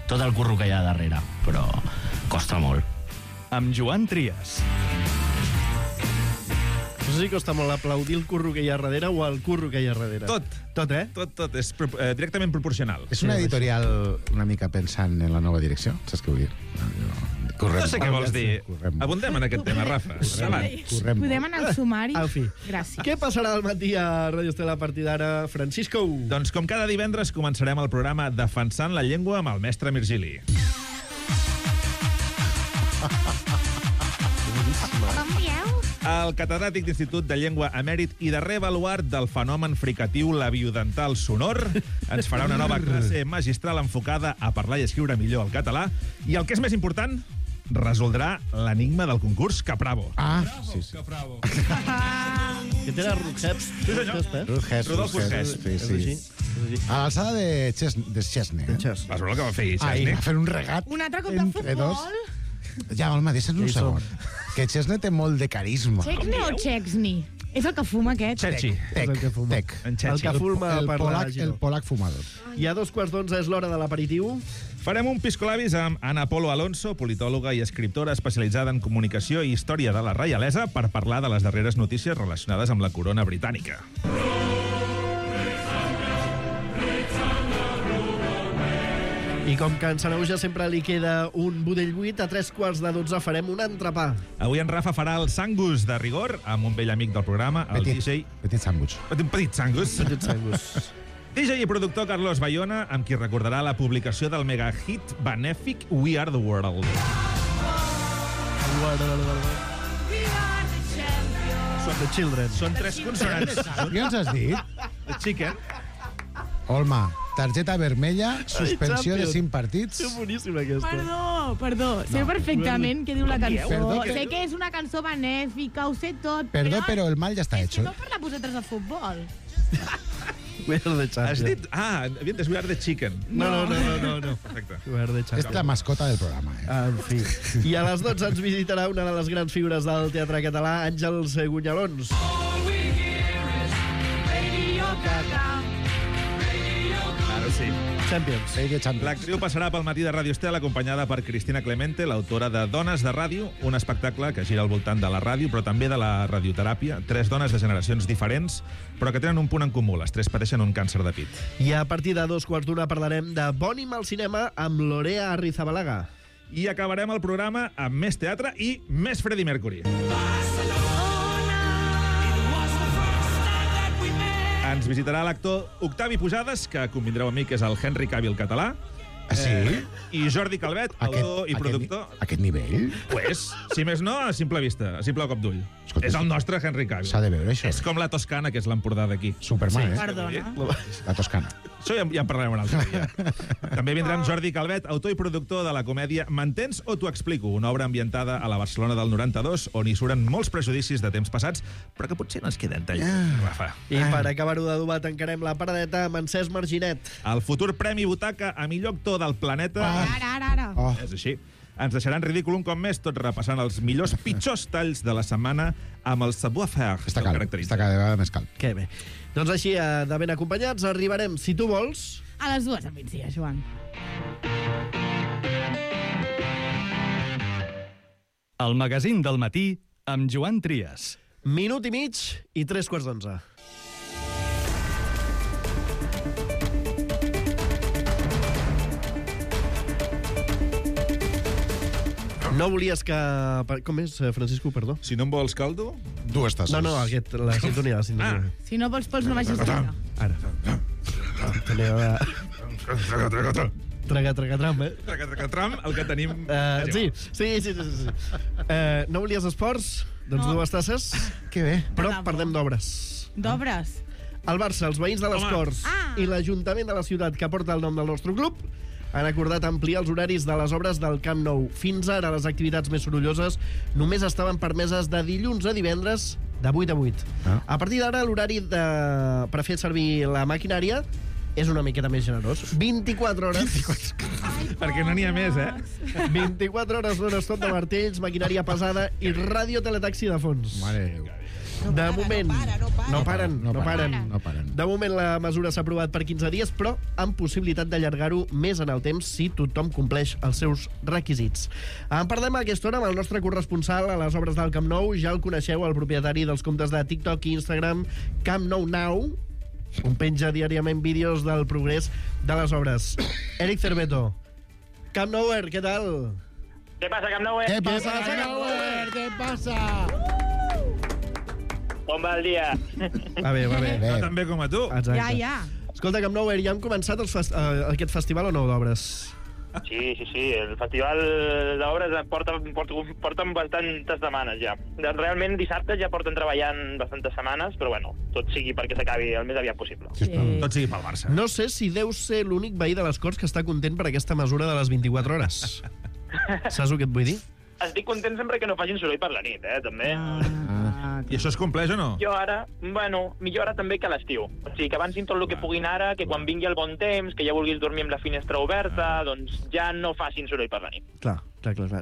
S15: tot el curro que hi ha darrere, però costa molt.
S6: Amb Joan Trias.
S12: És
S5: sé si costa molt aplaudir el curro que hi ha darrere o el curro que hi ha darrere.
S14: Tot.
S5: Tot, eh?
S14: Tot. És directament proporcional.
S12: És una editorial una mica pensant en la nova direcció? Saps què vull dir?
S14: No sé què vols dir. Abundem en aquest tema, Rafa.
S13: Podem anar al sumari?
S5: En fi.
S13: Gràcies.
S5: Què passarà al matí a Radio Estela a partir d'ara, Francisco?
S14: Doncs com cada divendres començarem el programa Defensant la llengua amb el mestre Virgili. El catedràtic d'Institut de Llengua emèrit i darrer baluart del fenomen fricatiu labiodental sonor ens farà una nova classe magistral enfocada a parlar i escriure millor el català i, el que és més important, resoldrà l'enigma del concurs Capravo.
S12: Sí.
S5: Capravo. Que té la Rutgers.
S14: Rodolfo Urgés.
S12: Sí. A l'alçada de Chesney.
S14: Vas veure el que va fer
S12: Chesney?
S14: Chesney?
S12: Va fer un regat
S13: Un altre cop de futbol?
S12: Ja, home, deixa'ns un segon. Que Chesney té molt de carisma.
S13: Chesney o Chesney? És el que fuma aquest?
S14: Chechi.
S12: Tec.
S5: El que fuma per la
S12: El polac fumador.
S5: I a 11:15 és l'hora de l'aperitiu.
S14: Farem un piscolabis amb Ana Polo Alonso, politòloga i escriptora especialitzada en comunicació i història de la reialesa, per parlar de les darreres notícies relacionades amb la corona britànica.
S5: I com que en Sanauja sempre li queda un budell buit, a 11:45 farem un entrepà.
S14: Avui en Rafa farà el sangus de rigor amb un vell amic del programa, el DJ...
S12: Petit sangus.
S14: Petit sangus. DJ i productor Carlos Bayona, amb qui recordarà la publicació del megahit benèfic We Are The World.
S5: The Children.
S14: Són 3 consonants.
S12: Què ens has dit?
S14: The Chicken.
S12: Olma, targeta vermella, suspensió de 5 partits.
S5: És boníssima, aquesta.
S13: Perdó. Sé perfectament què diu la cançó.
S12: Perdó,
S13: Sé que és una cançó benèfica, ho sé tot.
S12: Perdó, però el mal ja està hecho.
S13: No parla vosaltres de futbol.
S5: We Are The Champions.
S14: Has dit... havia entès We Are The Chicken.
S5: No.
S14: Perfecte.
S5: We Are The Champions.
S12: És la mascota del programa.
S5: En fi. I a les 12 ens visitarà una de les grans figures del teatre català, Àngels Gunyalons.
S14: Sí.
S5: Champions.
S14: L'actriu passarà pel matí de Ràdio Estel acompanyada per Cristina Clemente, l'autora de Dones de Ràdio, un espectacle que gira al voltant de la ràdio, però també de la radioteràpia. 3 dones de generacions diferents, però que tenen un punt en comú. Les 3 pateixen un càncer de pit.
S5: I a partir de 2:15 parlarem de Bònim al cinema amb Lorea Arrizabalaga.
S14: I acabarem el programa amb més teatre i més Freddie Mercury. Ens visitarà l'actor Octavi Pujades, que convindreu amb mi que és el Henry Cavill català.
S12: Sí?
S14: I Jordi Calvet, autor i productor.
S12: Aquest nivell?
S14: Pues, si més no, a simple vista, a simple cop d'ull. És el nostre Henry Cavill.
S12: S'ha de veure, això.
S14: És com la Toscana, que és l'Empordà d'aquí.
S12: Superman,
S14: Sí,
S13: Perdona.
S12: La Toscana.
S14: Això ja en parlarem un altre dia. També vindrà amb Jordi Calvet, autor i productor de la comèdia M'entens o t'ho explico? Una obra ambientada a la Barcelona del 92, on hi suren molts prejudicis de temps passats, però que potser no ens queden tan lluny, Rafa.
S5: I per acabar-ho d'adobar tancarem la paradeta amb Encès Marginet.
S14: El futur Premi Butaca a millor actor del planeta...
S13: Ara.
S14: És així. Ens deixaran ridícul un cop més, tot repassant els millors pitjors talls de la setmana amb el savoir-faire.
S12: Està cada vegada més cal.
S5: Que bé. Doncs així, de ben acompanyats, arribarem, si tu vols...
S13: A les 2 al migdia, Joan.
S6: El magazín del matí amb Joan Trias.
S5: Minut i mig i 11:45. No volies que... Com és, Francisco, perdó?
S14: Si no em vols caldo...
S12: 2 tasses.
S5: No, la sintonia,
S13: Si no vols pols, no vagis a treure.
S5: Ara. Tragatram, eh?
S14: Tragatram, el que tenim...
S5: Sí. No volies esports? Doncs 2 tasses.
S12: Que bé.
S5: Però parlem d'obres.
S13: D'obres?
S5: El Barça, els veïns de les Corts i l'Ajuntament de la ciutat que porta el nom del nostre club han acordat ampliar els horaris de les obres del Camp Nou. Fins ara, les activitats més sorolloses només estaven permeses de dilluns a divendres de 8 a 8. A partir d'ara, l'horari per fer servir la maquinària és una miqueta més generós. 24 hores.
S14: Perquè no n'hi ha més, eh?
S5: 24 hores non-stop de martells, maquinària pesada i ràdio teletaxi de fons.
S12: Mare de Déu.
S5: De moment... No paren.
S12: No paren.
S5: De moment la mesura s'ha aprovat per 15 dies, però amb possibilitat d'allargar-ho més en el temps si tothom compleix els seus requisits. En parlem a aquesta hora amb el nostre corresponsal a les obres del Camp Nou. Ja el coneixeu, el propietari dels comptes de TikTok i Instagram, Camp Nou Now, on penja diàriament vídeos del progrés de les obres. Eric Cerveto. Camp Nouer, què tal?
S16: Què passa, Camp Nouer?
S12: Què passa, Camp Nouer? Què passa?
S16: Com va el dia?
S5: Va bé.
S14: No tan bé com a tu.
S5: Exacte.
S13: Ja.
S5: Escolta, Camp Nouer, ja hem començat aquest festival o no d'obres?
S16: Sí. El festival d'obres porten bastantes setmanes ja. Realment dissabte ja porten treballant bastantes setmanes, però bueno, tot sigui perquè s'acabi el més aviat possible.
S14: Sí. Tot sigui pel Barça.
S5: No sé si deu ser l'únic veí de les Corts que està content per aquesta mesura de les 24 hores. Saps el que et vull dir?
S16: Estic content sempre que no facin soroll per la nit, també.
S14: I això es compleix o no?
S16: Millor ara també que a l'estiu. O sigui, que avancin tot el que puguin ara, que quan vingui el bon temps, que ja vulguis dormir amb la finestra oberta, doncs ja no facin soroll per la nit.
S5: Clar.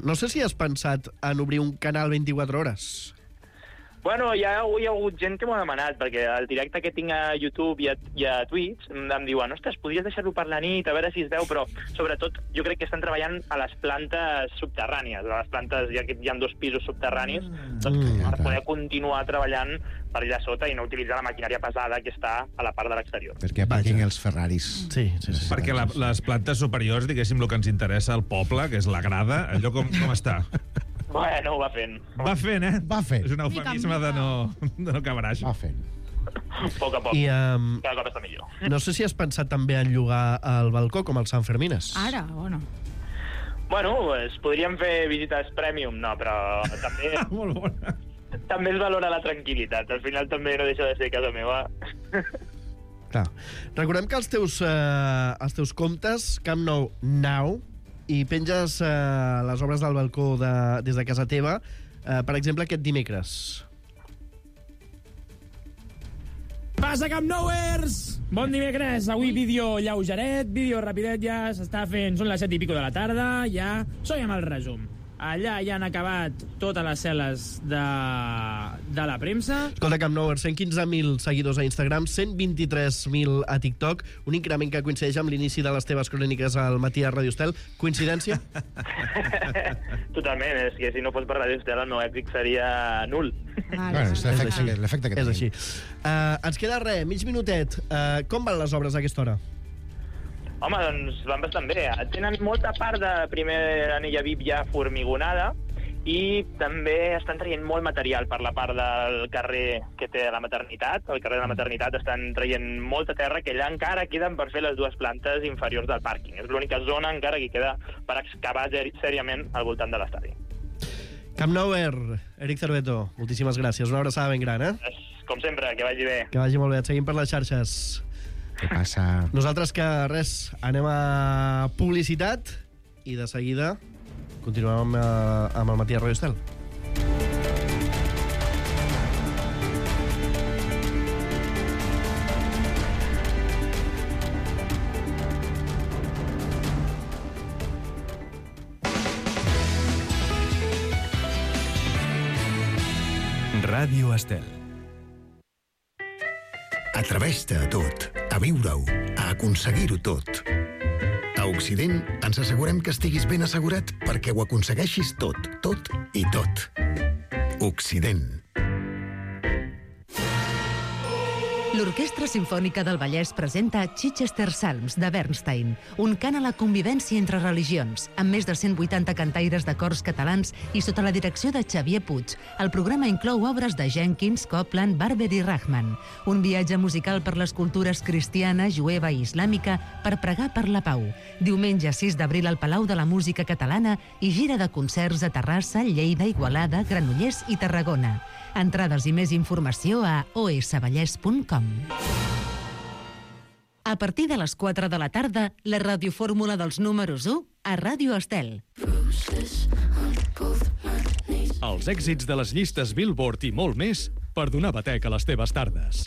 S5: No sé si has pensat en obrir un canal 24 hores.
S16: Bueno, hi ha hagut gent que m'ho ha demanat, perquè el directe que tinc a YouTube i a Twitch em diuen, ostres, podries deixar-lo per la nit, a veure si es veu, però sobretot jo crec que estan treballant a les plantes subterrànies. A les plantes hi ha 2 pisos subterranis, per poder continuar treballant per allà sota i no utilitzar la maquinària pesada que està a la part de l'exterior.
S12: Perquè aparquin els Ferraris.
S5: Sí.
S14: Perquè les plantes superiors, diguéssim, el que ens interessa al poble, que és la grada, allò com està?
S16: Bueno, va fent.
S14: Va fent. És un eufemisme de no cabraix.
S12: Va fent.
S16: A poc a poc.
S5: I,
S16: cada cop està millor.
S5: No sé si has pensat també en llogar el balcó com el Sant Fermines.
S13: Ara, o no?
S16: Bueno, podríem fer visites premium, no, però també...
S14: Molt bona.
S16: També es valora la tranquil·litat. Al final també no deixa de ser casa meva.
S5: Clar. Recordem que els teus comptes, Camp Nou Now, i penges les obres del balcó des de casa teva, per exemple, aquest dimecres.
S17: Passa, Camp Nouers! Bon dimecres, avui vídeo lleugeret, vídeo rapidet, ja s'està fent, són les 7 i pico de la tarda, ja som amb el resum. Allà ja han acabat totes les cel·les de la premsa.
S5: Escolta, Camp Nou, 115.000 seguidors a Instagram, 123.000 a TikTok, un increment que coincideix amb l'inici de les teves cròniques al matí a Radio Estel. Coincidència?
S16: Totalment, és que si no fos per Radio Estel el meu èpic seria nul.
S12: Bueno, és l'efecte que
S5: és així. Ens queda res, mig minutet. Com van les obres a aquesta hora?
S16: Home, doncs van bastant bé. Tenen molta part de primer anella VIP ja formigonada i també estan traient molt material per la part del carrer que té la maternitat. Al carrer de la maternitat estan traient molta terra que allà encara queden per fer les 2 plantes inferiors del pàrquing. És l'única zona encara que queda per excavar sèriament al voltant de l'estadi.
S5: Camp Nouer, Eric Cerveto, moltíssimes gràcies. Una abraçada ben gran,
S16: Com sempre, que vagi bé.
S5: Que vagi molt bé. Et seguim per les xarxes.
S12: Què passa?
S5: Nosaltres que res, anem a publicitat i de seguida continuem amb el matí a Radio Estel.
S6: Ràdio Estel.
S18: Atreveix-te a tot, a viure-ho, a aconseguir-ho tot. A Occident ens assegurem que estiguis ben assegurat perquè ho aconsegueixis tot i tot. Occident.
S7: L'Orquestra Simfònica del Vallès presenta Chichester Psalms, de Bernstein, un cant a la convivència entre religions, amb més de 180 cantaires de cors catalans i sota la direcció de Xavier Puig. El programa inclou obres de Jenkins, Copland, Barber i Rahman. Un viatge musical per les cultures cristiana, jueva i islàmica per pregar per la pau. Diumenge 6 d'abril al Palau de la Música Catalana i gira de concerts a Terrassa, Lleida, Igualada, Granollers i Tarragona. Entrades i més informació a osvallès.com. A partir de les 4 de la tarda, la radiofórmula dels números 1 a Ràdio Estel.
S6: Els èxits de les llistes Billboard i molt més per donar batec a les teves tardes.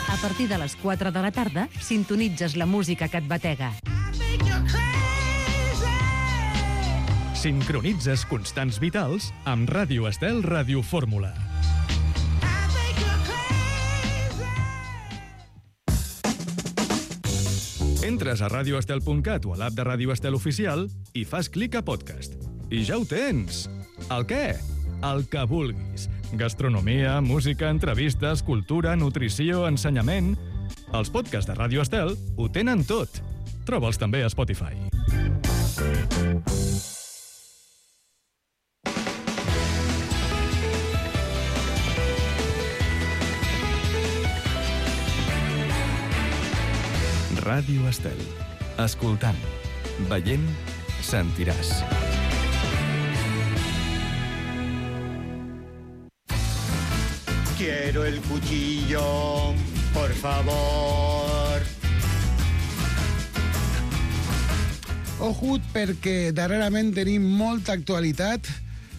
S7: A partir de les 4 de la tarda, sintonitzes la música que et batega.
S6: Sincronitzes constants vitals amb Ràdio Estel Radiofórmula. Entres a radioestel.cat o a l'app de Ràdio Estel Oficial i fas clic a podcast. I ja ho tens! El què? El que vulguis. Gastronomia, música, entrevistes, cultura, nutrició, ensenyament... Els podcasts de Ràdio Estel ho tenen tot. Troba'ls també a Spotify. Ràdio Estel. Escoltant, veient, sentiràs.
S19: Quiero el cuchillo, por favor.
S12: Ojut, perquè darrerament tenim molta actualitat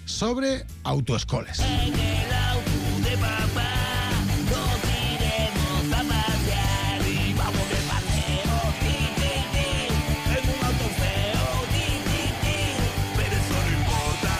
S12: sobre autoescoles.
S11: En el auto de papá nos iremos a pasear y vamos de paseo, en un auto feo, pero eso no importa,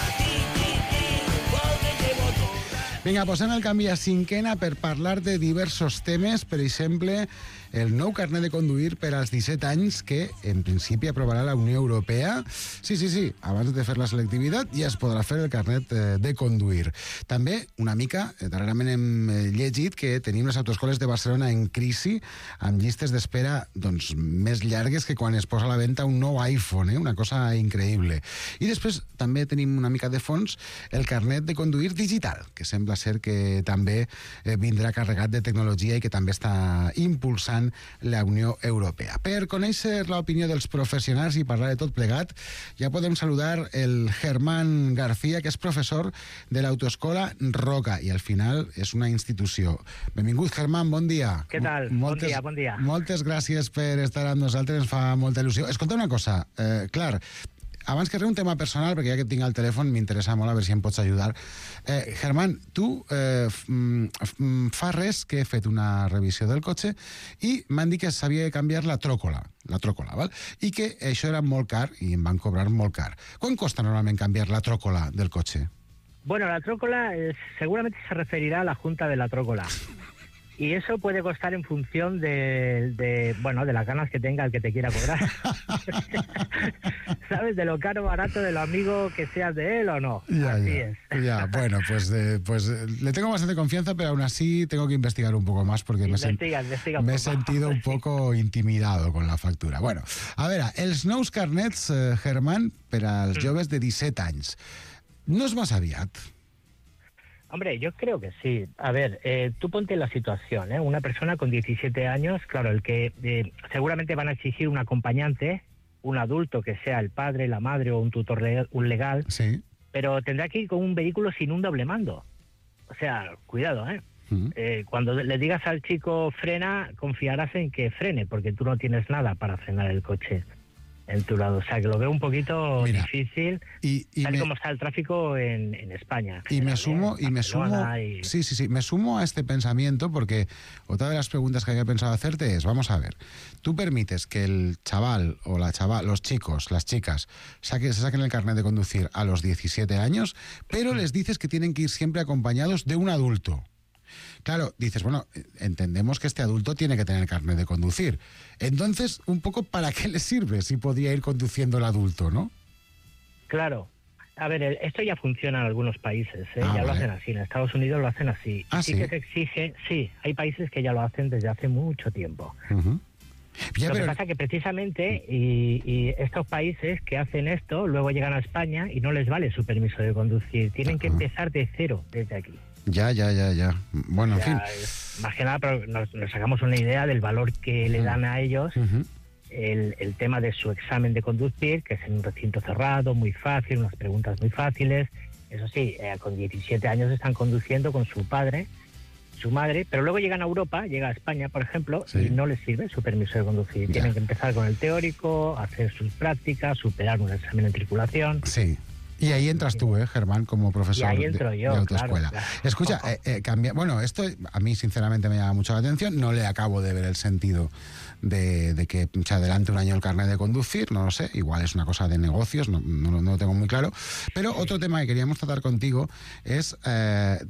S11: porque llevo toda.
S12: Vinga, posem el canvi a cinquena per parlar de diversos temes, per exemple, el nou carnet de conduir per als 17 anys que, en principi, aprovarà la Unió Europea. Sí, abans de fer la selectivitat ja es podrà fer el carnet de conduir. També, una mica, darrerament hem llegit que tenim les autoescoles de Barcelona en crisi, amb llistes d'espera doncs, més llargues que quan es posa a la venda un nou iPhone, una cosa increïble. I després també tenim una mica de fons el carnet de conduir digital, que sembla ser que també vindrà carregat de tecnologia i que també està impulsant la Unió Europea. Per conèixer l'opinió dels professionals i parlar de tot plegat, ja podem saludar el Germán García, que és professor de l'Autoescola Roca, i al final és una institució. Benvingut, Germán, bon dia.
S20: Què tal? Bon dia.
S12: Moltes gràcies per estar amb nosaltres, ens fa molta il·lusió. Escolta una cosa, clar, abans que res un tema personal, perquè ja que et tinc al telèfon m'interessa molt, a veure si em pots ajudar. Germán, tu fa res que he fet una revisió del cotxe i m'han dit que s'havia de canviar la tròcola, val? I que això era molt car i em van cobrar molt car. Quan costa normalment canviar la tròcola del cotxe?
S20: Bueno, la trócola seguramente se referirá a la junta de la trócola. Y eso puede costar en función de las ganas que tenga el que te quiera cobrar. ¿Sabes? De lo caro o barato, de lo amigo que seas de él o no. Así es.
S12: Ya, bueno, pues le tengo bastante confianza, pero aún así tengo que investigar un poco más porque
S20: investiga
S12: me he sentido un poco intimidado con la factura. Bueno, a veure, els nous carnets, Germán, per als joves de 17 anys. No és massa aviat?
S20: Hombre, yo creo que sí. A ver, tú ponte en la situación, ¿eh? Una persona con 17 años, claro, el que seguramente van a exigir un acompañante, un adulto que sea el padre, la madre o un tutor legal,
S12: sí.
S20: Pero tendrá que ir con un vehículo sin un doble mando. O sea, cuidado, ¿eh? Cuando le digas al chico frena, confiarás en que frene, porque tú no tienes nada para frenar el coche en tu lado. O sea, que lo veo un poquito difícil, tal como está el tráfico en España.
S12: Y me sumo a este pensamiento porque otra de las preguntas que había pensado hacerte es, vamos a ver, tú permites que el chaval o la chaval, los chicos, las chicas, se saquen el carnet de conducir a los 17 años, pero les dices que tienen que ir siempre acompañados de un adulto. Claro, dices, bueno, entendemos que este adulto tiene que tener carnet de conducir. Entonces, un poco, ¿para qué le sirve si podría ir conduciendo el adulto, no?
S20: Claro. A ver, esto ya funciona en algunos países, ¿eh? Ya lo hacen así. En Estados Unidos lo hacen así.
S12: ¿Sí?
S20: Que se exige, sí, hay países que ya lo hacen desde hace mucho tiempo. Lo que pasa es que precisamente y estos países que hacen esto luego llegan a España y no les vale su permiso de conducir. Tienen que empezar de cero desde aquí.
S12: Ya. Bueno, en fin.
S20: Más que nada, pero nos sacamos una idea del valor que le dan a ellos el tema de su examen de conducir, que es en un recinto cerrado, muy fácil, unas preguntas muy fáciles. Eso sí, con 17 años están conduciendo con su padre, su madre, pero luego llegan a Europa, llega a España, por ejemplo, y no les sirve su permiso de conducir. Tienen que empezar con el teórico, hacer sus prácticas, superar un examen en tripulación.
S12: Sí. Y ahí entras tú, Germán, como profesor de autoescuela.
S20: Claro.
S12: Escucha, bueno, esto a mí sinceramente me llama mucho la atención, no le acabo de ver el sentido de que se adelante un año el carnet de conducir, no lo sé, igual es una cosa de negocios, no lo tengo muy claro. Pero otro tema que queríamos tratar contigo es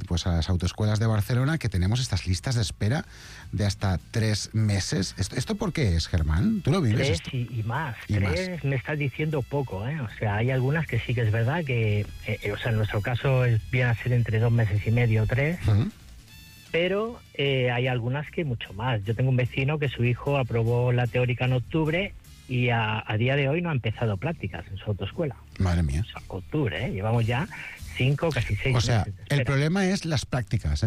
S12: pues a las autoescuelas de Barcelona, que tenemos estas listas de espera de hasta 3 meses. ¿Esto por qué es, Germán? ¿Tú lo vives?
S20: 3 y más. 3 me estás diciendo poco, O sea, hay algunas que sí que es verdad que, o sea, en nuestro caso viene a ser entre 2 meses y medio, 3. Pero hay algunas que mucho más. Yo tengo un vecino que su hijo aprobó la teórica en octubre y a día de hoy no ha empezado prácticas en su autoescuela.
S12: Madre mía.
S20: O sea, octubre, Llevamos ya 5, casi 6 meses.
S12: O sea,
S20: de espera.
S12: el problema es las prácticas,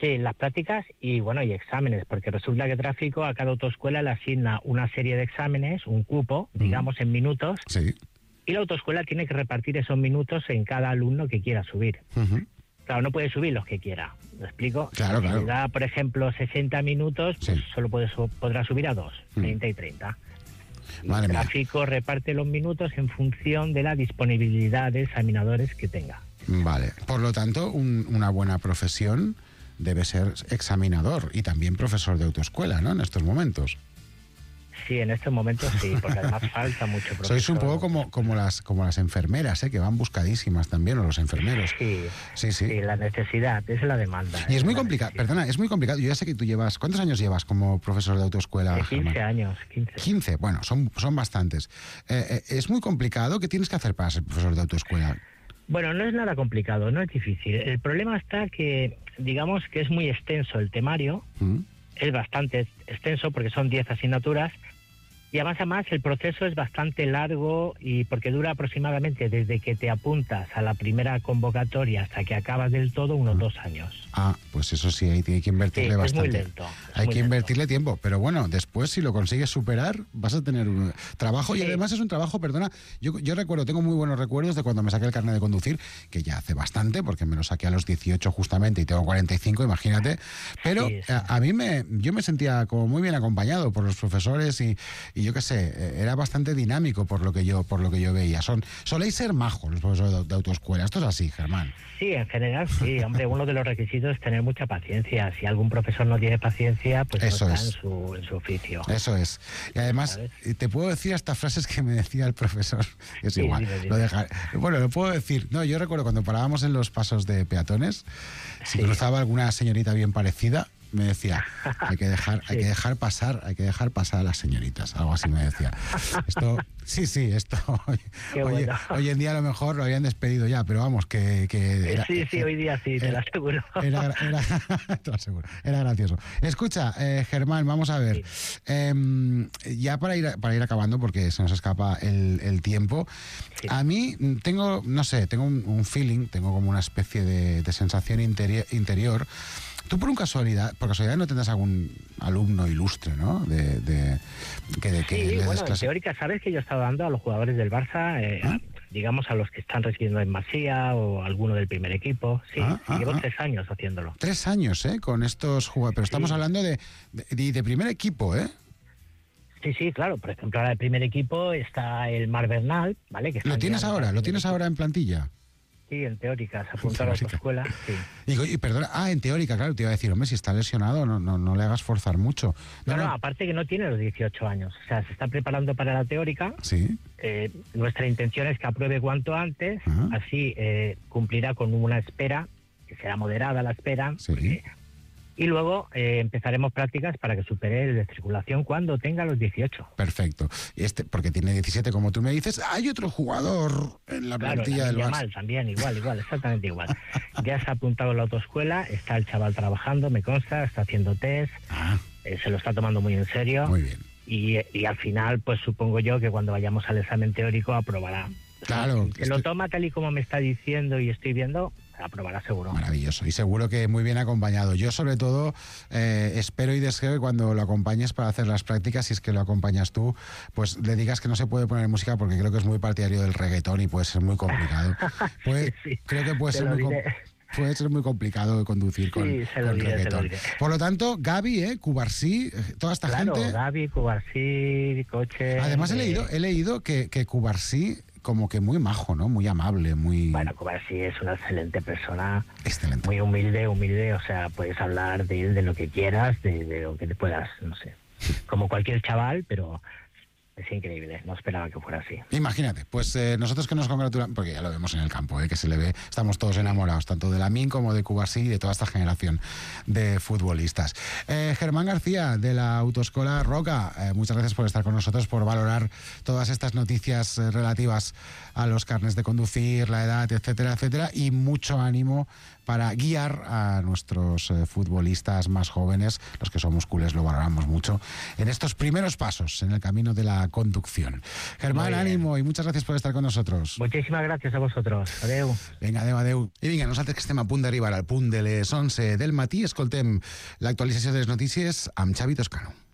S20: Sí, las prácticas y exámenes, porque resulta que tráfico a cada autoescuela le asigna una serie de exámenes, un cupo, digamos, en minutos.
S12: Sí.
S20: Y la autoescuela tiene que repartir esos minutos en cada alumno que quiera subir. Claro, no puede subir los que quiera, ¿me explico?
S12: Claro.
S20: Si da, por ejemplo, 60 minutos, pues solo podrá subir a 2, 30 y 30.
S12: Madre
S20: El
S12: mía.
S20: tráfico reparte los minutos en función de la disponibilidad de examinadores que tenga.
S12: Vale. Por lo tanto, una buena profesión debe ser examinador y también profesor de autoescuela, ¿no? En estos momentos.
S20: Sí, en estos momentos sí, porque además falta mucho profesor.
S12: Sois un poco como las enfermeras, que van buscadísimas también, o los enfermeros.
S20: Sí, la necesidad, es la demanda.
S12: Y es muy complicado, perdona, es muy complicado. Yo ya sé que tú llevas, ¿cuántos años llevas como profesor de autoescuela?
S20: 15 años,
S12: 15, bueno, son bastantes. Es muy complicado. ¿Qué tienes que hacer para ser profesor de autoescuela?
S20: Bueno, no es nada complicado, no es difícil. El problema está que, digamos que es muy extenso el temario, es bastante extenso porque son 10 asignaturas, y además el proceso es bastante largo y porque dura aproximadamente desde que te apuntas a la primera convocatoria hasta que acabas del todo unos 2 años.
S12: Pues eso sí, hay que invertirle bastante.
S20: Es muy lento.
S12: Hay que invertirle tiempo, pero bueno, después si lo consigues superar vas a tener un trabajo y además es un trabajo, perdona, yo recuerdo, tengo muy buenos recuerdos de cuando me saqué el carnet de conducir, que ya hace bastante, porque me lo saqué a los 18 justamente y tengo 45, imagínate, pero a mí yo me sentía como muy bien acompañado por los profesores y yo qué sé, era bastante dinámico por lo que yo veía. Soléis ser majos los profesores de autoescuela, esto es así, Germán.
S20: Sí, en general sí, hombre, uno de los requisitos es tener mucha paciencia. Si algún profesor no tiene paciencia, pues
S12: eso
S20: no está en su oficio.
S12: Eso es. Y además, te puedo decir hasta frases que me decía el profesor, que es igual. Bueno, lo puedo decir. No, yo recuerdo cuando parábamos en los pasos de peatones, si cruzaba alguna señorita bien parecida, me decía, hay que dejar pasar a las señoritas, algo así me decía. Esto, esto hoy en día a lo mejor lo habían despedido ya, pero vamos, que era,
S20: hoy día sí, te lo aseguro.
S12: Te lo aseguro, era gracioso. Escucha, Germán, vamos a ver, ya para ir acabando, porque se nos escapa el tiempo, a mí tengo un feeling, tengo como una especie de sensación interior. Tú por casualidad no tendrás algún alumno ilustre, ¿no? Que le des clase.
S20: En teórica, sabes que yo he estado dando a los jugadores del Barça, digamos a los que están residiendo en Masía o alguno del primer equipo. Sí, llevo 3 años haciéndolo.
S12: 3 años, con estos jugadores. Pero estamos hablando de primer equipo,
S20: Sí, claro. Por ejemplo, ahora el primer equipo está el Mar Bernal, ¿vale? Que
S12: ¿Lo tienes ahora en plantilla?
S20: Sí, en teórica, se apuntó a la autoescuela, sí.
S12: Y perdona, en teórica, claro, te iba a decir, hombre, si está lesionado, no le hagas forzar mucho.
S20: No, aparte que no tiene los 18 años, o sea, se está preparando para la teórica.
S12: Sí.
S20: Nuestra intención es que apruebe cuanto antes, así cumplirá con una espera, que será moderada la espera, y luego empezaremos prácticas para que supere el de circulación cuando tenga los 18.
S12: Perfecto. Porque tiene 17, como tú me dices. Hay otro jugador en la plantilla del Barça.
S20: También, igual, exactamente igual. Ya se ha apuntado en la autoescuela, está el chaval trabajando, me consta, está haciendo test, se lo está tomando muy en serio.
S12: Muy bien.
S20: Y al final, pues supongo yo que cuando vayamos al examen teórico aprobará.
S12: Claro.
S20: Si lo toma tal y como me está diciendo y estoy viendo, aprobará seguro.
S12: Maravilloso. Y seguro que muy bien acompañado. Yo, sobre todo, espero y deseo que cuando lo acompañes para hacer las prácticas, si es que lo acompañas tú, pues le digas que no se puede poner música porque creo que es muy partidario del reggaetón y puede ser muy complicado. Creo que puede ser muy complicado de conducir con reggaetón. Por lo tanto, Gaby, Cubarsí, toda esta gente...
S20: Gaby, Cubarsí, Coche...
S12: Además, he leído que Cubarsí como que muy majo, ¿no? Muy amable, muy...
S20: Bueno, Cubarsí es una excelente persona.
S12: Excelente.
S20: Muy humilde, o sea, puedes hablar de él de lo que quieras, de lo que te puedas, no sé. Como cualquier chaval, pero es increíble, no esperaba que fuera así.
S12: Imagínate, pues nosotros que nos congratulamos, porque ya lo vemos en el campo, que se le ve, estamos todos enamorados, tanto de Lamine como de Cubarsí y de toda esta generación de futbolistas. Germán García, de la Autoescola Roca, muchas gracias por estar con nosotros, por valorar todas estas noticias relativas a los carnets de conducir, la edad, etcétera, etcétera, y mucho ánimo para guiar a nuestros futbolistas más jóvenes, los que somos culés lo valoramos mucho, en estos primeros pasos en el camino de la conducción. Germán, ánimo, y muchas gracias por estar con nosotros.
S20: Muchísimas gracias a vosotros. Adeu.
S12: Vinga, adeu. I vinga, nosaltres que estem a punt d'arribar al punt de les 11 del matí, escoltem l'actualització de les notícies amb Xavi Toscano.